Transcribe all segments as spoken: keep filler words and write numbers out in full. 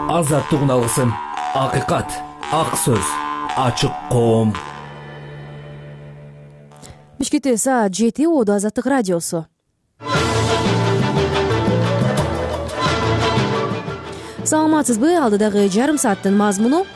Азаттык алгысым, акыйкат, ак сөз, ачык коом. Бишкекте саат жети, Оодо Азаттык радиосу. Саламатсызбы? Алдыдагы жарым сааттын мазмуну.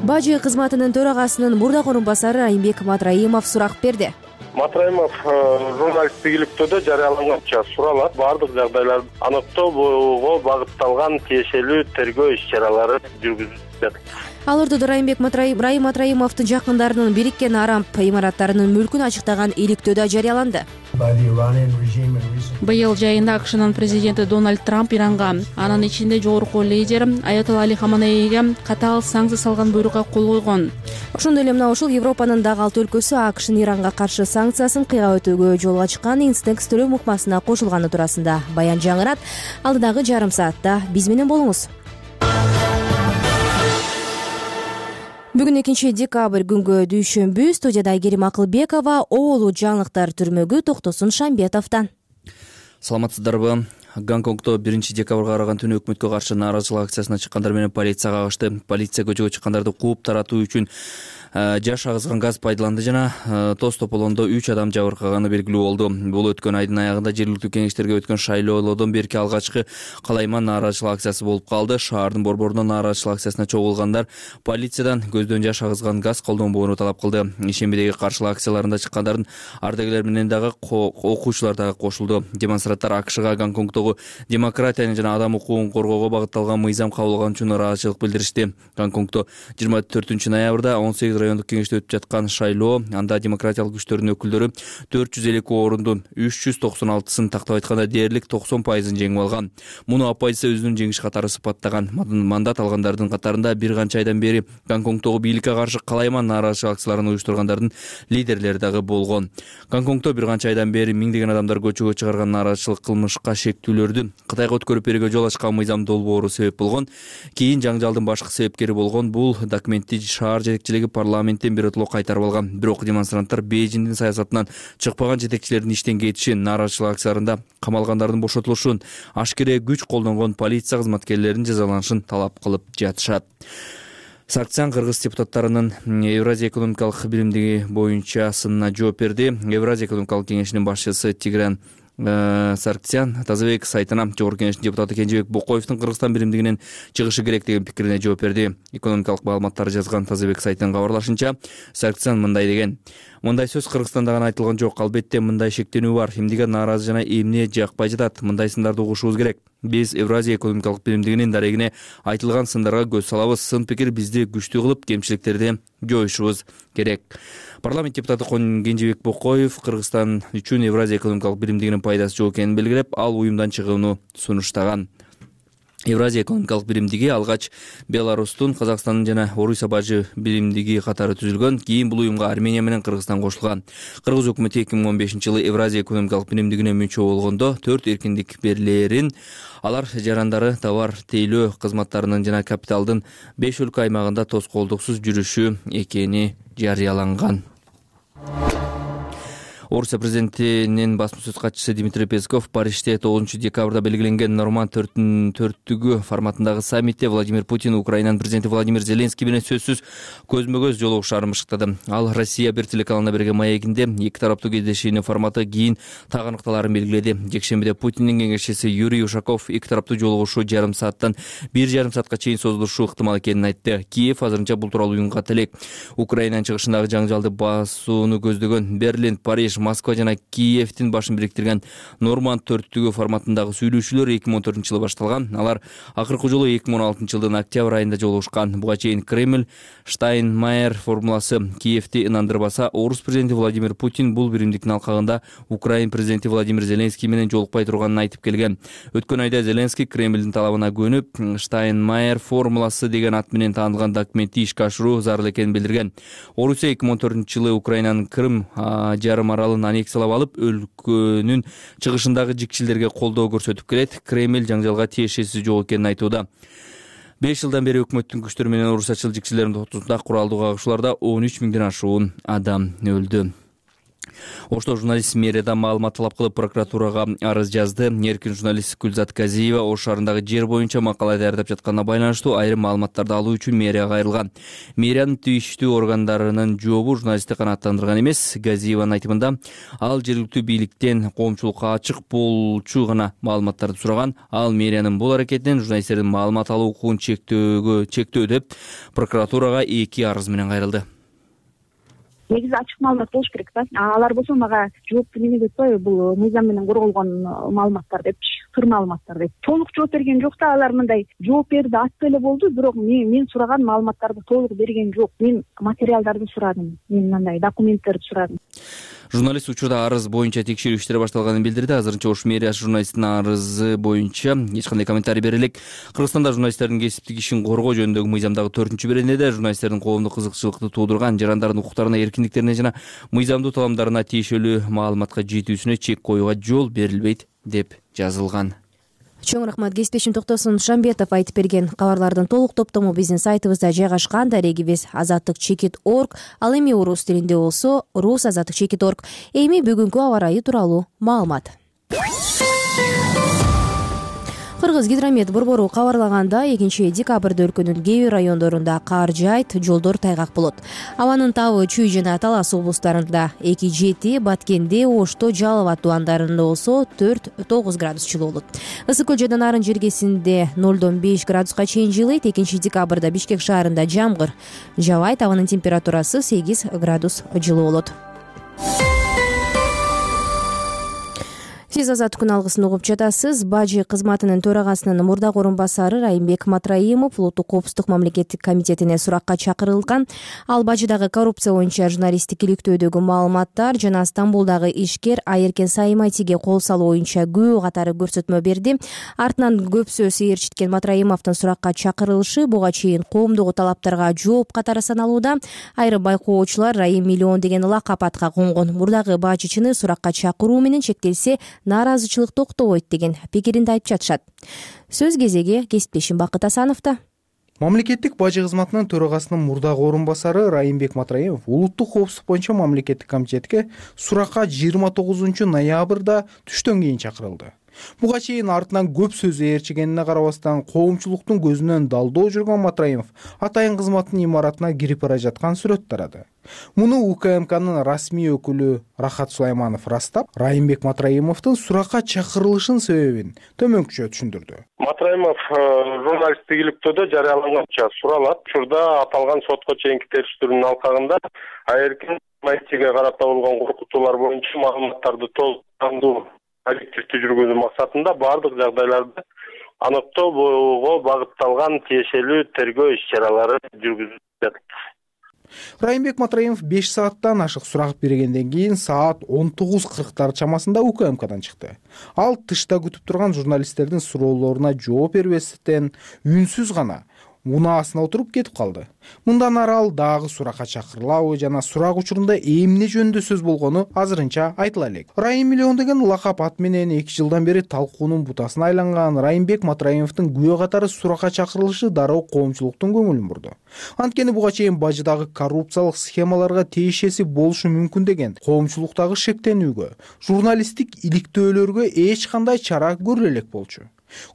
Бажы кызматынын төрагасынын мурдагы орун басары Райымбек Матраимов сурак берди. Матраимов журналисттик иликтөөдө жарыяланганча суралат баардык жагдайларды аныктоого багытталган тиешелүү тергөө иш-чаралары жүргүзүлүп жатат. Ал ортодо Райымбек Райым Матраимовдун жакындарынын бириккен Арамп имараттарынын мүлкүн ачыктаган иликтөөдө жарыяланды. Быйыл жайында АКШнын президенти Дональд Трамп Иранга, анын ичинде жогорку лидер Аятолла Али Хаменейге катаал санкция салган буйрукка кол койгон. Ошондой эле мына ушул Европанын дагы алты өлкөсү АКШнын Иранга каршы санкциясын кыйгап өтүүгө жолго чыккан Инстекс төлөм укмасына кошулганы туурасында баян жаңырат. Алдыдагы жарым саатта биз менен болуңуз. Бүгүн экинчи декабрь күнгө дүйшөмбү. Студияда Айгерим Акылбекова, оолу жаңылыктар түрмөгү Токтосун Шамбетовдон. Саламатсыздарбы? Гонконгдо биринчи декабрга караган түнү өкмөткө каршы нааразычылык акциясына чыккандар менен полицияга кагышты. Полиция көчөгө чыккандарды кууп таратуу үчүн жаш агызган газ пайдаланды жана тоз тополондо үч адам жабыркаганы белгилүү болду. Бул өткөн айдын аягында жергиликтүү кеңештерге өткөн шайлоодон берки алгачкы калайман нааразычылык акциясы болуп калды. Шаардын борборунда нааразычылык акциясына чогулгандар полициядан көздөн жаш агызган газ колдонбоону талап кылды. Ишембидеги каршылык акцияларында чыккандардын ардагерлер менен дагы окуучулар дагы кошулду. Демонстранттар АКШга Гонконгдогу демократияны жана адам укугун коргоого багытталган мыйзам кабыл алган үчүн нааразычылык билдиришти. Гонконгдо жыйырма төртүнчү ноябрда он сегиз райондук кеңеште өтүп жаткан шайлоо, анда демократиялык күчтөрдүн өкүлдөрү төрт жүз элүү эки орундун үч жүз токсон алтысын тактап айтканда дээрлик токсон пайызын жеңип алган. Муну оппозиция өзүнүн жеңиш катары сыпаттаган. Мандат алгандардын катарында бир канча айдан бери Гонконгдогу бийликке каршы калайман нааразычылык акцияларын уюштургандардын лидерлери дагы болгон. Гонконгдо бир канча айдан бери миңдеген адамдар көчөгө чыгарган нааразычылык кылмышка шектүүлөрдү Кытайга өткөрүп берүүгө жол ачкан мыйзам долбоору себеп болгон. Кийин жаңжалдын башкы себепкери болгон бул документти шаар жетекчилиги парламенттен биротоло кайтарып алган. Бирок демонстранттар Бейжиңдин саясатынан чыкпаган жетекчилердин иштен кетишин, нааразычылык акцияларында камалгандардын бошотулушун, ашкере күч колдонгон полиция кызматкерлеринин жазаланышын талап кылып жатышат. Сарксян кыргыз депутаттарынын Евразия экономикалык биримдиги боюнча сынына жооп берди. Евразия экономикалык кеңешинин башчысы Тигран Сарксян Тазабек сайтына жогорку кеңештин депутаты Кенжебек Бокоевдун Кыргызстан биримдигинен чыгышы керек деген пикирине жооп берди. Экономикалык маалыматтарды жазган Тазабек сайтынын кабарлашынча, Сарксян мындай деген: мындай сөз Кыргызстанда гана айтылган жок. Албетте мындай шектенүү бар. Эмнеге нааразы жана эмне жакпай жатат? Мындай сындарды угушубуз керек. Биз Евразия экономикалык биримдигинин дарегине айтылган сындарга көз салабыз. Сын пикир бизди күчтүү кылып, кемчиликтерди жоюшубуз керек. Парламент депутаты Кенжебек Бокоев Кыргызстан үчүн Евразия экономикалык биримдигинин пайдасы жок экенин белгилеп, ал уюмдан чыгууну сунуштаган. Евразия экономикалык биримдиги алгач Беларустун, Казакстандын жана Орусия бажы биримдиги катары түзүлгөн. Кийин бул уюмга Армения менен Кыргызстан кошулган. Кыргыз өкмөтү эки миң он бешинчи жылы Евразия экономикалык биримдигине мүчө болгондо төрт эркиндик берилерин, алар жарандары товар тейлөө кызматтарынын жана капиталдын беш өлкө аймагында тоскоолдуксуз жүрүшү экени жарыяланган. Орусия президентинин басма-сөз катчысы Дмитрий Песков Парижде тогузунчу декабрда белгиленген Норманд төрттүгү форматындагы саммитте Владимир Путин Украинанын президенти Владимир Зеленский менен сөзсүз көзмө-көз жолугушаарын бышыктады. Ал Россия бир телеканалына берген маегинде эки тараптуу кездешүүнүн форматы кийин так аныкталаарын белгиледи. Жекшембиде Путиндин кеңешчиси Юрий Ушаков эки тараптуу жолугушуу жарым сааттан бир жарым саатка чейин созулушу ыктымал экенин айтты. Киев азырынча бул тууралуу уюмга телек. Украинанын чыгышындагы жаңжалды басууну көздөгөн Берлин, Париж, Москва жана Киевдин башын бириктирген Норманд төрттүгү форматындагы сүйлөшүүлөр эки миң он төртүнчү жылы башталган. Алар акыркы жолу эки миң он алтынчы жылдын октябрь айында жолугушкан. Буга чейин Кремль Штайнмайер формуласы Киевди ынандырбаса, Орус президенти Владимир Путин бул биримдиктин алкагында Украин президенти Владимир Зеленский менен жолукпай турганын айтып келген. Өткөн айда Зеленский Кремлдин талабына көнүп, Штайнмайер формуласы деген ат менен таанылган документти ишке ашыруу зарыл экенин билдирген. Орусия эки миң он төртүнчү жылы Украинанын Крым жарым аралын аннексиялап алып, өлкөнүн чыгышындагы жикчилдерге колдоо көрсөтүп келет. Кремль жаңжалга тиешеси жок экенин айтууда. беш жылдан бери өкмөттүн күчтөрү менен орусчачыл жикчилердин ортосунда куралдуу кагышууларда он үч миңден ашуун адам өлдү. Ошто журналист мэриядан маалымат талап кылып прокуратурага арыз жазды. Эркин журналист Гүлзат Казиева Ош шаарындагы жер боюнча макала даярдап жатканына байланыштуу айрым маалыматтарды алуу үчүн мэрияга кайрылган. Мэриянын тийиштүү органдарынын жообу журналистти канааттандырган эмес. Газиеванын айтымында ал жергиликтүү бийликтен коомчулукка ачык болчу гана маалыматтарды сураган. Ал мэриянын бул аракетинен журналисттердин маалымат алуу укугун чектөөгө чектөө деп прокуратурага эки арыз менен кайрылды. Негизи ачык маалымат болуш керек да. Алар болсо мага жоопту неме деп атпайбы, бул мыйзам менен корголгон маалыматтар депчи, сыр маалыматтар деп. Толук жооп берген жок да, алар мындай жооп берди, аттуу эле болду, бирок мен мен сураган маалыматтарды толук берген жок. Мен материалдарды сурадым, мен мындай документтерди сурадым. Журналист учурда арыз боюнча текшерүү иштери башталганын билдирди. Азырынча Ош мэриясы журналисттин арызы боюнча эч кандай комментарий бере элек. Кыргызстанда журналисттердин кесиптик ишин коргоо жөнүндөгү мыйзамдагы төртүнчү беренеде журналисттердин коомдук кызыкчылыкты туудурган жарандардын укуктарына, эркиндиктерине жана мыйзамдуу таламдарына тиешелүү маалыматка жетүүсүнө чек коюуга жол берилбейт деп жазылган. Чоң рахмат. Кесиптешим Токтосун Шамбетов айтып берген кабарлардын толук топтому биздин сайтыбызда жайгашкан. Дарегибиз азаттык чекит точка орг. Ал эми орус тилинде болсо рус азаттык чекит точка орг. Эми бүгүнкү аба ырайы тууралуу маалымат. Кыргыз гидромет борбору кабарлаганда экинчи декабрда өлкөнүн кээ бир райондорунда кар жаайт, жолдор тайгак болот. Абанын табы Чүй жана Талас облустарында эки жети, Баткенде, Ошто, Жалал абад тубандарында болсо төрт тогуз градус жылуу болот. Ысык көл жана Нарын жергесинде нолдон беш градуска чейин жылыйт. экинчи декабрда Бишкек шаарында жамгыр жаабайт. Абанын температурасы сегиз градус жылуу болот. Сиз азаттык күн алгысын угуп жатасыз. Бажы кызматынын төрагасынын мурдагы орун басары Райымбек Матраимов улуттук коопсуздук мамлекеттик комитетине суракка чакырылган. Ал бажыдагы коррупция боюнча журналисттик иликтөөдөгү маалыматтар жана Стамбулдагы ишкер Айеркен Саймайтиге кол салуу боюнча күбө катары көрсөтмө берди. Артынан көп сөз ээрчиткен Матраимовдун суракка чакырылышы буга чейин коомдук талаптарга жооп катары саналууда. Айрым байкоочулар Райым миллион деген лакап атка конгон. Мурдагы бажычыны суракка чакыруу менен чектелсе нааразычылык токтобойт деген пикиринде айтып жатышат. Сөз кезеги кесиптешим Бакыт Асановдо. Мамлекеттик бажы кызматынын төрагасынын мурдагы орун басары Райымбек Матраимов улуттук коопсуздук боюнча мамлекеттик комитетке суракка жыйырма тогузунчу ноябрда түштөн кийин чакырылды. Буга чейин артынан көп сөз ээрчигенине карабастан коомчулуктун көзүнөн далдоо жүргөн Матраимов атайын кызматтын имаратына кирип бара жаткан сүрөт тарады. Муну УКМКнын расмий өкүлү Рахат Сулайманов растап, Райымбек Матраимовдун суракка чакырылышынын себебин төмөнкүчө түшүндүрдү. Матраимов журналисттик иликтөөдө жарыяланганча суралат. Учурда аталган сотко чейинки териштирүүнүн алкагында Айеркен Саймайтиге карата болгон коркутуулар боюнча маалыматтарды толуктандуу объективдүү жүргүзүү максатында бардык жагдайларды аныктоого багытталган тиешелүү тергөө иш-чаралары жүргүзүлүп жатат. Райымбек Матраимов беш сааттан ашык сурак бергенден кийин саат он тогуз кырктар чамасында УКМКдан чыкты. Ал тышта күтүп турган журналисттердин суроолоруна жооп бербестен үнсүз гана унаасына отуруп кетип калды. Мындан ары ал дагы суракка чакырылабы жана сурак учурунда эмне жөнүндө сөз болгону азырынча айтыла элек. Райым миллион деген лакап ат менен эки жылдан бери талкуунун бутасына айланган Райымбек Матраимовдун күбө катары суракка чакырылышы дароо коомчулуктун көңүлүн бурду. Анткени буга чейин бажыдагы коррупциялык схемаларга тиешеси болушу мүмкүн деген коомчулуктагы шектенүүгө, журналисттик иликтөөлөргө эч кандай чара көрүлө элек болчу.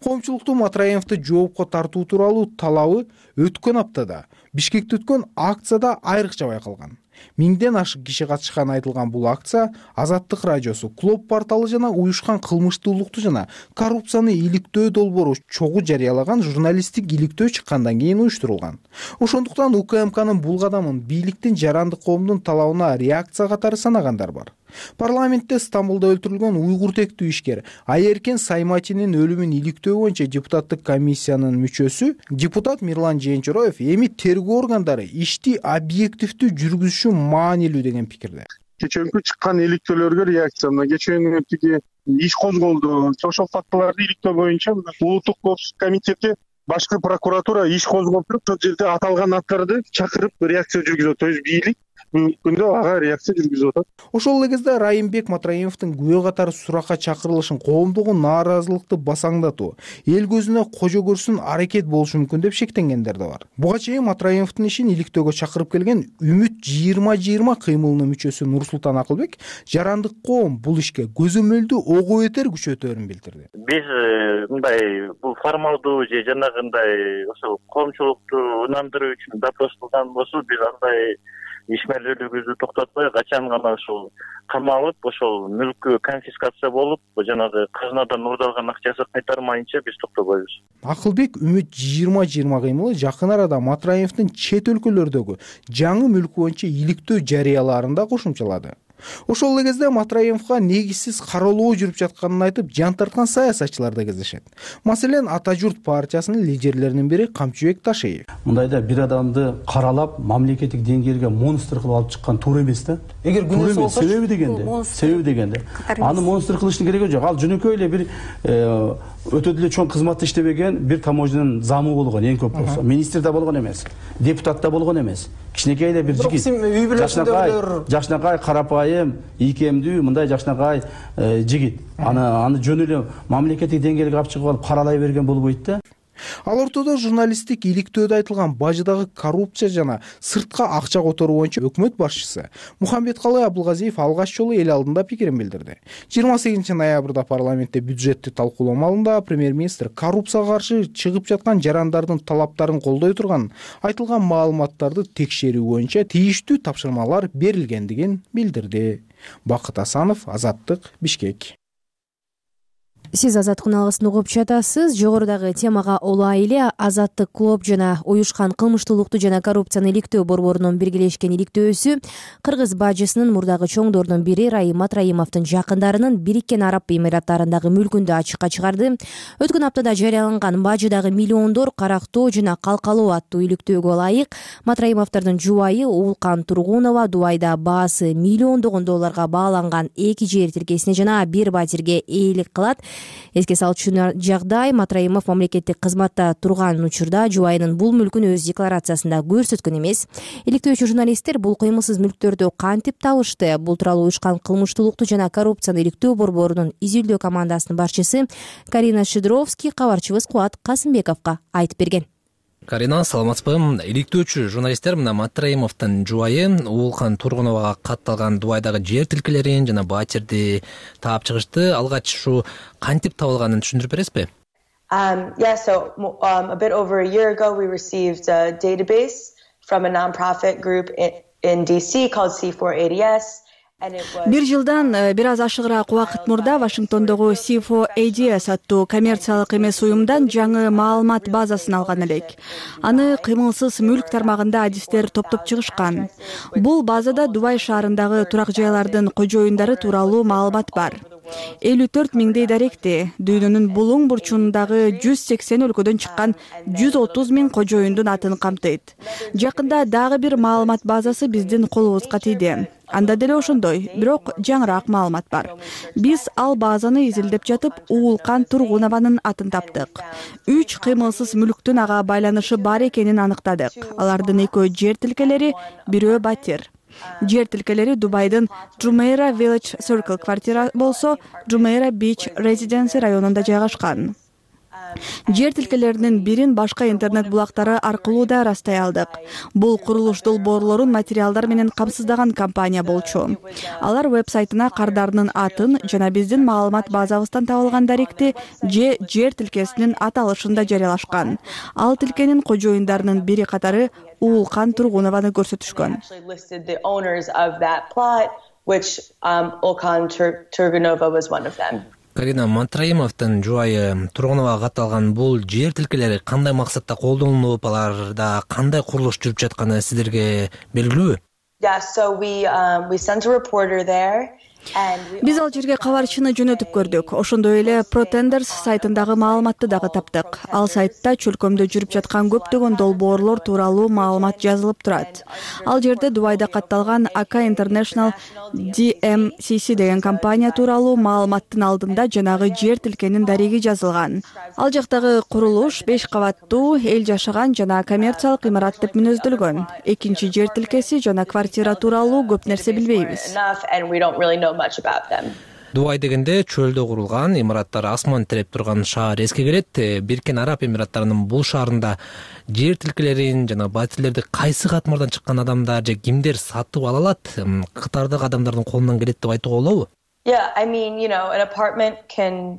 Коомчулуктун Матраимовду жоопко тартуу тууралуу талабы өткөн аптада Бишкекте өткөн акцияда айрыкча байкалган. Миңден ашык киши катышканы айтылган бул акция Азаттык радиосу, Клоп порталы жана уюшкан кылмыштуулукту жана коррупцияны иликтөө долбоору чогуу жарыялаган журналисттик иликтөө чыккандан кийин уюштурулган. Ошондуктан УКМКнын бул кадамын бийликтин жарандык коомдун талабына реакция катары санагандар бар. Парламентте Стамбулда өлтүрүлгөн уйгур тектүү ишкер Айеркен Саймайтинин өлүмүн иликтөө боюнча депутаттык комиссиянын мүчөсү депутат Мирлан Жээнчороев эми тергөө органдары ишти объективдүү жүргүзүшү маанилүү деген пикирде. Кечээкү чыккан иликтөөлөргө реакция мына кечээкү тиги иш козголду. Ошол фактыларды иликтөө боюнча улуттук коопсуздук комитети башкы прокуратура иш козгоп туруп, ошол жерде аталган аттарды чакырып реакция жүргүзөт. То есть бийлик күндө ага реакция жүргүзүп атат. Ошол эле кезде Райымбек Матраимовдун күбө катары суракка чакырылышын коомдугу нааразылыкты басаңдатуу, эл көзүнө кожо көрсүн аракет болушу мүмкүн деп шектенгендер да бар. Буга чейин Матраимовдун ишин иликтөөгө чакырып келген Үмүт жыйырма жыйырма кыймылынын мүчөсү Нурсултан Акылбек жарандык коом бул ишке көзөмөлдүү ого бетер күчөтөөрүн билдирди. Биз мындай бул формалдуу же жанагындай ошол коомчулукту ынандыруу үчүн допрос кылган болсо биз андай ишмерлүүлүгүбүздү токтотпой качан гана ушул камалып ошол мүлкү конфискация болуп жанагы казынадан уурдалган акчасы кайтармайынча биз токтобойбуз. Акылбек Үмүт жыйырма жыйырма кыймылы жакын арада Матраимовдун чет өлкөлөрдөгү жаңы мүлкү боюнча иликтөө жарыялаарын да кошумчалады. Ошол эле кезде Матраимовго негизсиз кароолоо жүрүп жатканын айтып жан тарткан саясатчылар да кездешет. Маселен, Ата журт партиясынын лидерлеринин бири Камчыбек Ташиев. Мындайда бир адамды каралап мамлекеттик деңгээлге монстр кылып алып чыккан туура эмес да. Эгер күнөөсү болсо, себеби дегенде, себеби дегенде аны монстр кылыштын кереги жок. Ал жөнөкөй эле бир өтө деле чоң кызматты иштебеген бир таможнянын замы болгон, эң көп болсо. Министр да болгон эмес, депутат да болгон эмес. Кичинекей эле бир жигит. Жашнакай, жашнакай карапайым, ийкемдүү мындай жашнакай жигит. Аны аны жөн эле мамлекеттик деңгээлге алып чыгып алып каралай берген болбойт да. Ал ортодо журналисттик иликтөөдө айтылган бажыдагы коррупция жана сыртка акча которуу боюнча өкмөт башчысы Мухамбеткалый Абылгазиев алгач жолу эл алдында пикирин билдирди. жыйырма сегизинчи ноябрда парламентте бюджетти талкуулоо маалында премьер-министр коррупцияга каршы чыгып жаткан жарандардын талаптарын колдой турган айтылган маалыматтарды текшерүү боюнча тийиштүү тапшырмалар берилгендигин билдирди. Бакыт Асанов, Азаттык, Бишкек. Сиз Азаттыктын алгысын угуп жатасыз. Жогорудагы темага улай эле Азаттык клуб жана уюшкан кылмыштуулукту жана коррупцияны иликтөө борборунун биргелешкен иликтөөсү Кыргыз бажысынын мурдагы чоңдорунун бири Райым Матраимовдун жакындарынын Бириккен Араб Эмираттарындагы мүлкүндү ачыкка чыгарды. Өткөн аптада жарыяланган бажыдагы миллиондор карактоо жана калкалоо аттуу иликтөөгө ылайык Матраимовдордун жубайы Уулкан Тургунова Дубайда баасы миллиондогон долларга бааланган эки жер тилкесине жана бир батирге ээлик кылат. Эске салчу жагдай Матраимов мамлекеттик кызматта турган учурда жубайынын бул мүлкүн өз декларациясында көрсөткөн эмес. Иликтөөчү журналисттер бул кыймылсыз мүлктөрдү кантип табышты? Бул тууралуу уюшкан кылмыштуулукту жана коррупцияны иликтөө борборунун изилдөө командасынын башчысы Карина Шидровский кабарчыбыз Кубат Касымбековго айтып берген. Карина, саламатсызбы? Иликтөөчү журналисттер мына Матраимовдун жубайы Уулкан Тургуновага катталган Дубайдагы жер тилкелерин жана батирди таап чыгышты. Алгач ушу кантип табылганын түшүндүрүп бересизби? Um, yeah, so um, a bit over a year ago, we received a database from a nonprofit group in, in D C called C four A D S. Бир жылдан бир аз ашыгыраак убакыт мурда Вашингтондогу C four A D S аттуу коммерциялык эмес уюмдан жаңы маалымат базасын алган элек. Аны кыймылсыз мүлк тармагында адистер топтоп чыгышкан. Бул базада Дубай шаарындагы турак жайлардын кожоюндары тууралуу маалымат бар. элүү төрт миңдей даректи, дүйнөнүн булуң бурчундагы жүз сексен өлкөдөн чыккан жүз отуз миң кожоюндун атын камтыйт. Жакында дагы бир маалымат базасы биздин колубузга тийди. Анда деле ошондой, бирок жаңыраак маалымат бар. Биз ал базаны изилдеп жатып, Уулкан Тургунованын атын таптык. Үч кыймылсыз мүлктүн ага байланышы бар экенин аныктадык. Алардын экөө жер тилкелери, бирөө батир. Жер тилкелери Дубайдын Jumeirah Village Circle квартира болсо, Jumeirah Beach Residency районунда жайгашкан. Жер тилкелеринин бирин башка интернет булактары аркылуу да растай алдык. Бул курулуш долбоорлорун материалдар менен камсыздаган компания болчу. Алар вебсайтына кардарынын атын жана биздин маалымат базабыздан табылган даректи же жер тилкесинин аталышын да жарыялашкан. Ал тилкенин кожоюндарынын бири катары Уулкан Тургунованы көрсөтүшкөн. Карина, Матраимовдун жубайы Тургуновага катталган бул жер тилкелери кандай максатта колдонулуп, аларда кандай курулуш жүрүп жатканы сиздерге белгилүүбү? Yeah, so we um, we sent a reporter there Биз ал жерге кабарчыны жөнөтүп көрдүк. Ошондой эле Protenders сайтындагы маалыматты дагы таптык. Ал сайтта чөлкөмдө жүрүп жаткан көптөгөн долбоорлор тууралуу маалымат жазылып турат. Ал жерде Дубайда катталган Aka International ди эм си си деген компания тууралуу маалыматтын алдында жанагы жер тилкенин дареги жазылган. Ал жактагы курулуш беш кабаттуу, эл жашаган жана коммерциялык имарат деп мүнөздөлгөн. Экинчи жер тилкеси жана квартира тууралуу көп нерсе билбейбиз. Дубай дегенде чөлдө курулган, имараттар асман тиреп турган шаар эске келет. Бириккен Араб Эмираттарынын бул шаарында жер тилкелерин жана батирлерди кайсы катмардан чыккан адамдар же кимдер сатып ала алат? Катардагы адамдардын колунан келет деп айтууга болобу? Yeah, I mean, you know, an apartment can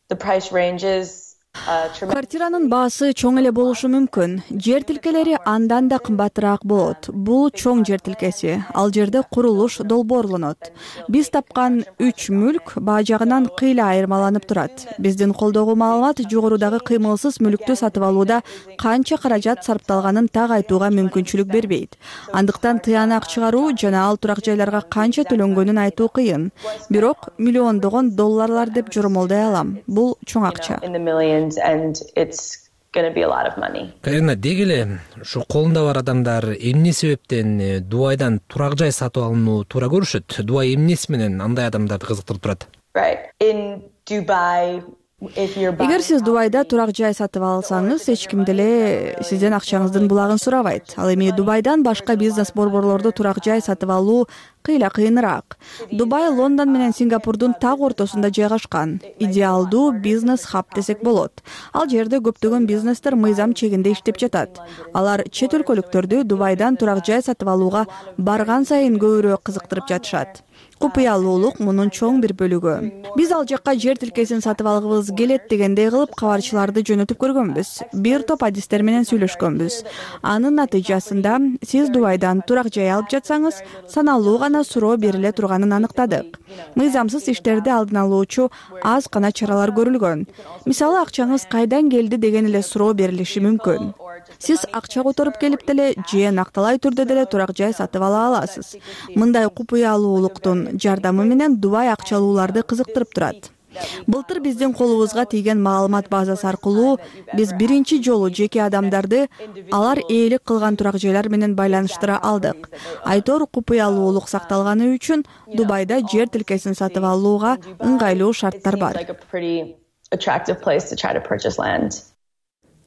the price ranges. Квартиранын баасы чоң эле болушу мүмкүн. Жер тилкелери андан да кымбатыраак болот. Бул чоң жер тилкеси. Ал жерде курулуш долбоорлонот. Биз тапкан үч мүлк баа жагынан кыйла айырмаланып турат. Биздин колдогу маалымат жогорудагы кыймылсыз мүлктү сатып алууда канча каражат сарпталганын так айтууга мүмкүнчүлүк бербейт. Андыктан тыянак чыгаруу жана ал турак жайларга канча төлөнгөнүн айтуу кыйын. Бирок миллиондогон долларлар деп жормолдой алам. Бул чоң акча. And it's going to be a lot of money. Карина, дегеле ушу колунда бар адамдар эмне себептен Дубайдан турак жай сатып алууну туура көрүшөт? Дубай эмнеси менен андай адамдарды кызыктырып турат? Right. In Dubai, Эгер сиз Дубайда турак жай сатып алсаңыз, эч ким деле сизден акчаңыздын булагын сурабайт. Ал эми Дубайдан башка бизнес борборлордо турак жай сатып алуу кыйла кыйыныраак. Дубай Лондон менен Сингапурдун так ортосунда жайгашкан. Идеалдуу бизнес хаб десек болот. Ал жерде көптөгөн бизнестер мыйзам чегинде иштеп жатат. Алар чет өлкөлүктөрдү Дубайдан турак жай сатып алууга барган сайын көбүрөөк кызыктырып жатышат. Купуялуулук мунун чоң бир бөлүгү. Биз ал жакка жер тилкесин сатып алгыбыз келет дегендей кылып кабарчыларды жөнөтүп көргөнбүз. Бир топ адистер менен сүйлөшкөнбүз. Анын натыйжасында сиз Дубайдан турак жай алып жатсаңыз, саналуу гана суроо бериле турганын аныктадык. Мыйзамсыз иштерди алдын алуучу аз гана чаралар көрүлгөн. Мисалы, акчаңыз кайдан келди деген эле суроо берилиши мүмкүн. Сиз акча которуп келип деле же накталай түрдө деле турак жай сатып ала аласыз. Мындай купуялуулуктун жардамы менен Дубай акчалууларды кызыктырып турат. Былтыр биздин колубузга тийген маалымат базасы аркылуу биз биринчи жолу жеке адамдарды алар ээлик кылган турак жайлар менен байланыштыра алдык. Айтор купуялуулук сакталганы үчүн Дубайда жер тилкесин сатып алууга ыңгайлуу шарттар бар.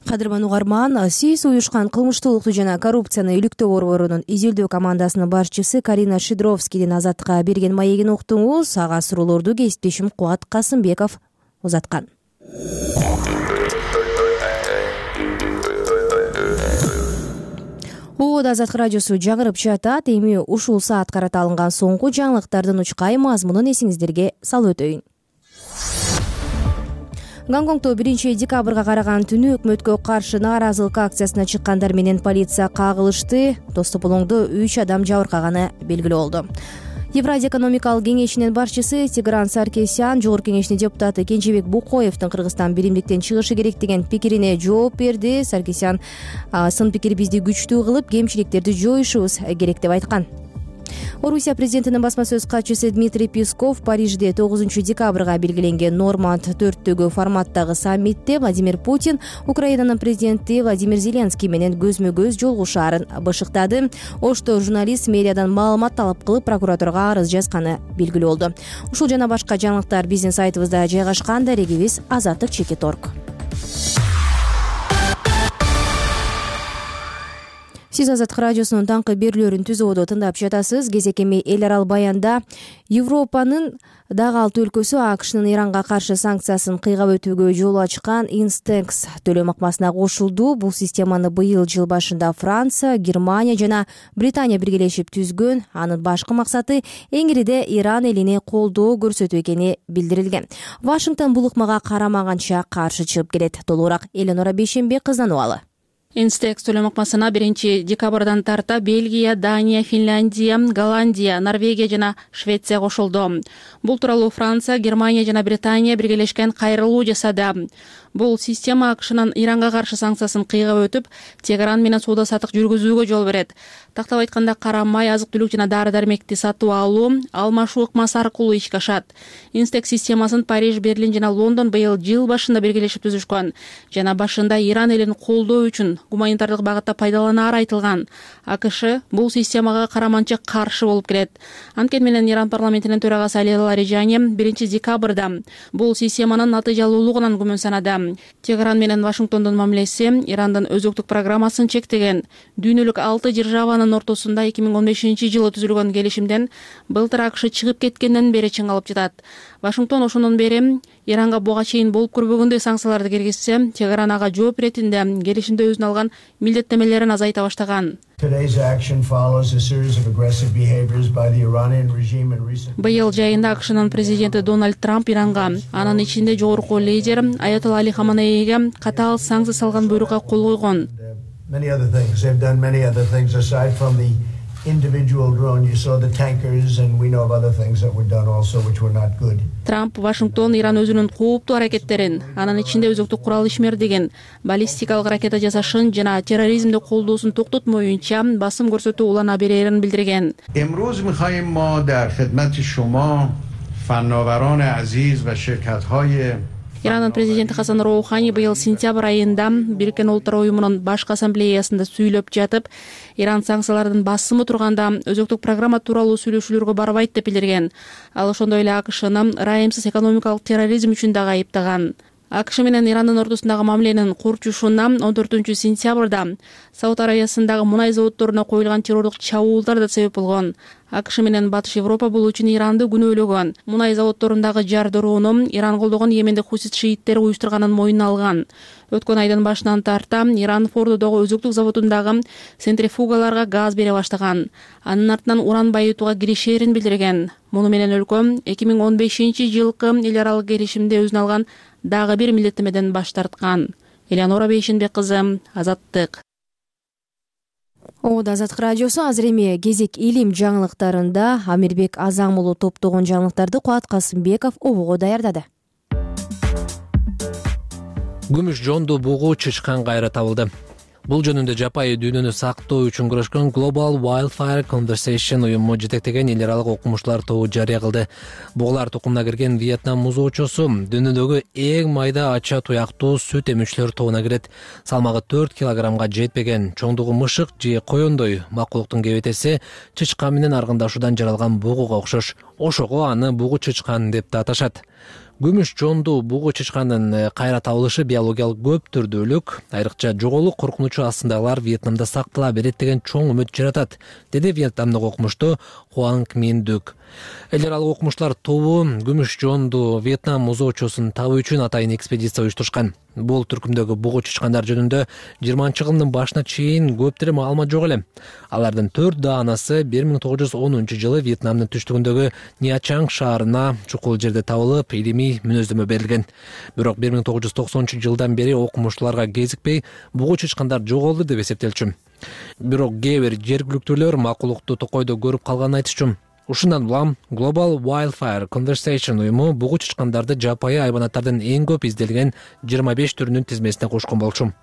Кадырман угарман, сиз уюшкан кылмыштуулукту жана коррупцияны иликтөө борборунун изилдөө командасынын башчысы Карина Шидровскийдин Азаттыкка берген маегин уктуңуз. Ага суроолорду кесиптешим Кубат Касымбеков узаткан. Ободо Азаттык радиосу жаңырып жатат. Эми ушул саат карата алынган соңку жаңылыктардын учкай мазмунун эсиңиздерге салып өтөйүн. Гонконгдо биринчи декабрга караган түнү өкмөткө каршы нааразылык акциясына чыккандар менен полиция кагылышты. Тос тополоңдо үч адам жабыркаганы белгилүү болду. Евразия экономикалык кеңешинин башчысы Тигран Саркисян жогорку кеңештин депутаты Кенжебек Букоевдин Кыргызстан биримдиктен чыгышы керек деген пикирине жооп берди. Саркисян сын пикир бизди күчтүү кылып, кемчиликтерди жоюшубуз керек деп айткан. Орусия президентинин басма сөз катчысы Дмитрий Песков Парижде тогузунчу декабрга белгиленген Норманд төрттөгү форматтагы саммитте Владимир Путин Украинанын президенти Владимир Зеленский менен көзмө-көз жолугушаарын бышыктады. Ошто журналист мэриядан маалымат талап кылып прокуратурага арыз жазганы белгилүү болду. Ушул жана башка жаңылыктар биздин сайтыбызда жайгашкан. Дарегибиз азаттык чекит точка орг. Сиз Азаттык радиосунун таңкы берүүлөрүн түзүүдө тыңдап жатасыз. Кезекеми эл арал баянда Европанын дагы алты өлкөсү АКШнын Иранга каршы санкциясын кыйгап өтүүгө жол ачкан Инстекс төлөм ыкмасына кошулду. Бул системаны быйыл жыл башында Франция, Германия жана Британия биргелешип түзгөн. Анын башкы максаты эңириде Иран элине колдоо көрсөтүү экени билдирилген. Вашингтон бул ыкмага карамаганча каршы чыгып келет. Толугураак Эленора Бейшембек кызданыбалы. инстекс төлөм ыкмасына биринчи декабрдан тарта Бельгия, Дания, Финляндия, Голландия, Норвегия жана Швеция кошулду. Бул тууралуу Франция, Германия жана Британия биргелешкен кайрылуу жасады. Бул система АКШнын Иранга каршы санкциясын кыйгап өтүп, Тегеран менен соода саттык жүргүзүүгө жол берет. Тактап айтканда, кара май, азык-түлүк жана дары-дармекти сатып алуу, алмашуу ыкмасы аркылуу ишке ашат. Инстекс системасын Париж, Берлин жана Лондон быйыл жыл башында биргелешип түзүшкөн жана башында Иран элин колдоо үчүн гуманитардык багытта пайдаланаары айтылган. АКШ бул системага караманча каршы болуп келет. Анткени менен Иран парламентинин төрагасы Али Ларижани биринчи декабрда бул системанын натыйжалуулугунан күмөн санады. Тегеран менен Вашингтондун мамилеси Ирандын өзөктүк программасын чектеген. Дүйнөлүк алты державанын ортосунда эки миң он бешинчи жылы түзүлгөн келишимден былтыр АКШ чыгып кеткенден бери чыңалып жатат. Вашингтон ошондон бери Иранга буга чейин болуп көрбөгөндөй санкцияларды киргизсе, Тегеран ага жооп иретинде келишимде өзүнө алган милдеттемелерин азайта баштаган. Быйыл жайында АКШнын президенти Дональд Трамп Иранга, анын ичинде жогорку лидер Аятолла Али Хаманейге катаал санкция салган буйрукка кол койгон. Трамп Вашингтон Иран өзүнүн кооптуу аракеттерин, анын ичинде өзөктүк курал ишмердигин, баллистикалык ракета жасашын жана терроризмди колдоосун токтотмоюнча басым көрсөтүү улана берерин билдирген. امروز می‌خواهیم ما در خدمت شما فناوران عزیز و شرکت‌های Иранын президенти Хасан Роухани быйыл сентябрь айында Бириккен Улуттар уюмунун башкы ассамблеясында сүйлөп жатып, Иран санкциялардын басымы турганда өзөктүк программа тууралуу сүйлөшүүлөргө барбайт деп билдирген. Ал ошондой эле АКШны ырайымсыз экономикалык терроризм үчүн дагы айыптаган. АКШ менен Ирандын ортосундагы мамиленин курчушуна он төртүнчү сентябрда Сауд Арабиясындагы мунай заводдоруна коюлган террорлук чабуулдар да себеп болгон. АКШ менен Батыш Европа бул үчүн Иранды күнөөлөгөн. Мунай заводдорундагы жар дороону Иран колдогон Йемендик хусит шииттери уюштурганын мойнуна алган. Өткөн айдын башынан тарта Иран Фордодогу өзөктүк заводундагы центрифугаларга газ бере баштаган. Анын артынан уран байытууга киришерин билдирген. Муну менен өлкө эки миң он бешинчи жылкы эл аралык келишимде өзүнө алган дагы бир милдеттемеден баш тарткан. Элеонора Бейшенбек кызы, Азаттык. Ода Азаттык радиосу азыр эми кезек илим жаңылыктарында Амирбек Азам уулу топтогон жаңылыктарды Кубат Касымбеков обого даярдады. Күмүш жонду бугу чычкан кайра табылды. Бул жөнүндө жапайы дүйнөнү сактоо үчүн күрөшкөн Global Wildfire Conversation уюму жетектеген эл аралык окумуштуулар тобу жарыя кылды. Бугулар тукумуна кирген Вьетнам музоочосу дүйнөдөгү эң майда ача туяктуу сүт эмүүчүлөр тобуна кирет. Салмагы төрт килограммга жетпеген чоңдугу мышык же коёндой макулуктун кебетеси чычкан менен аргындашуудан жаралган бугуга окшош. Ошого аны бугу чычкан деп да аташат. Күмүш жонду бугу чычкандын кайра табылышы биологиялык көп түрдүүлүк, айрыкча жоголук коркунучу астындагылар Вьетнамда сактала берет деген чоң үмүт жаратат, деди Вьетнамдык окумуштуу Хуанг Мин Дук. Эл аралык окумуштуулар тобу күмүш жонду Вьетнам музоочосун табуу үчүн атайын экспедиция уюштурушкан. Бул түркүмдөгү бугу чычкандар жөнүндө жыйырманчы кылымдын башына чейин көптөр маалымат жок эле. Алардын төрт даанасы бир миң тогуз жүз онунчу жылы Вьетнамдын түштүгүндөгү Ниачанг шаарына чукул жерде табылып, илимий мүнөздөмө берилген. Бирок бир миң тогуз жүз токсонунчу жылдан бери окумуштууларга кезикпей бугу чычкандар жоголду деп эсептелчү. Бирок кээ бир жергиликтүүлөр макулукту токойдо көрүп калганын айтышчу. Ушундан улам Global Wildfire Conversation уюму бугу чычкандарды жапайы айбанаттардын эң көп изделген жыйырма беш түрүнүн тизмесине кошкон болчу.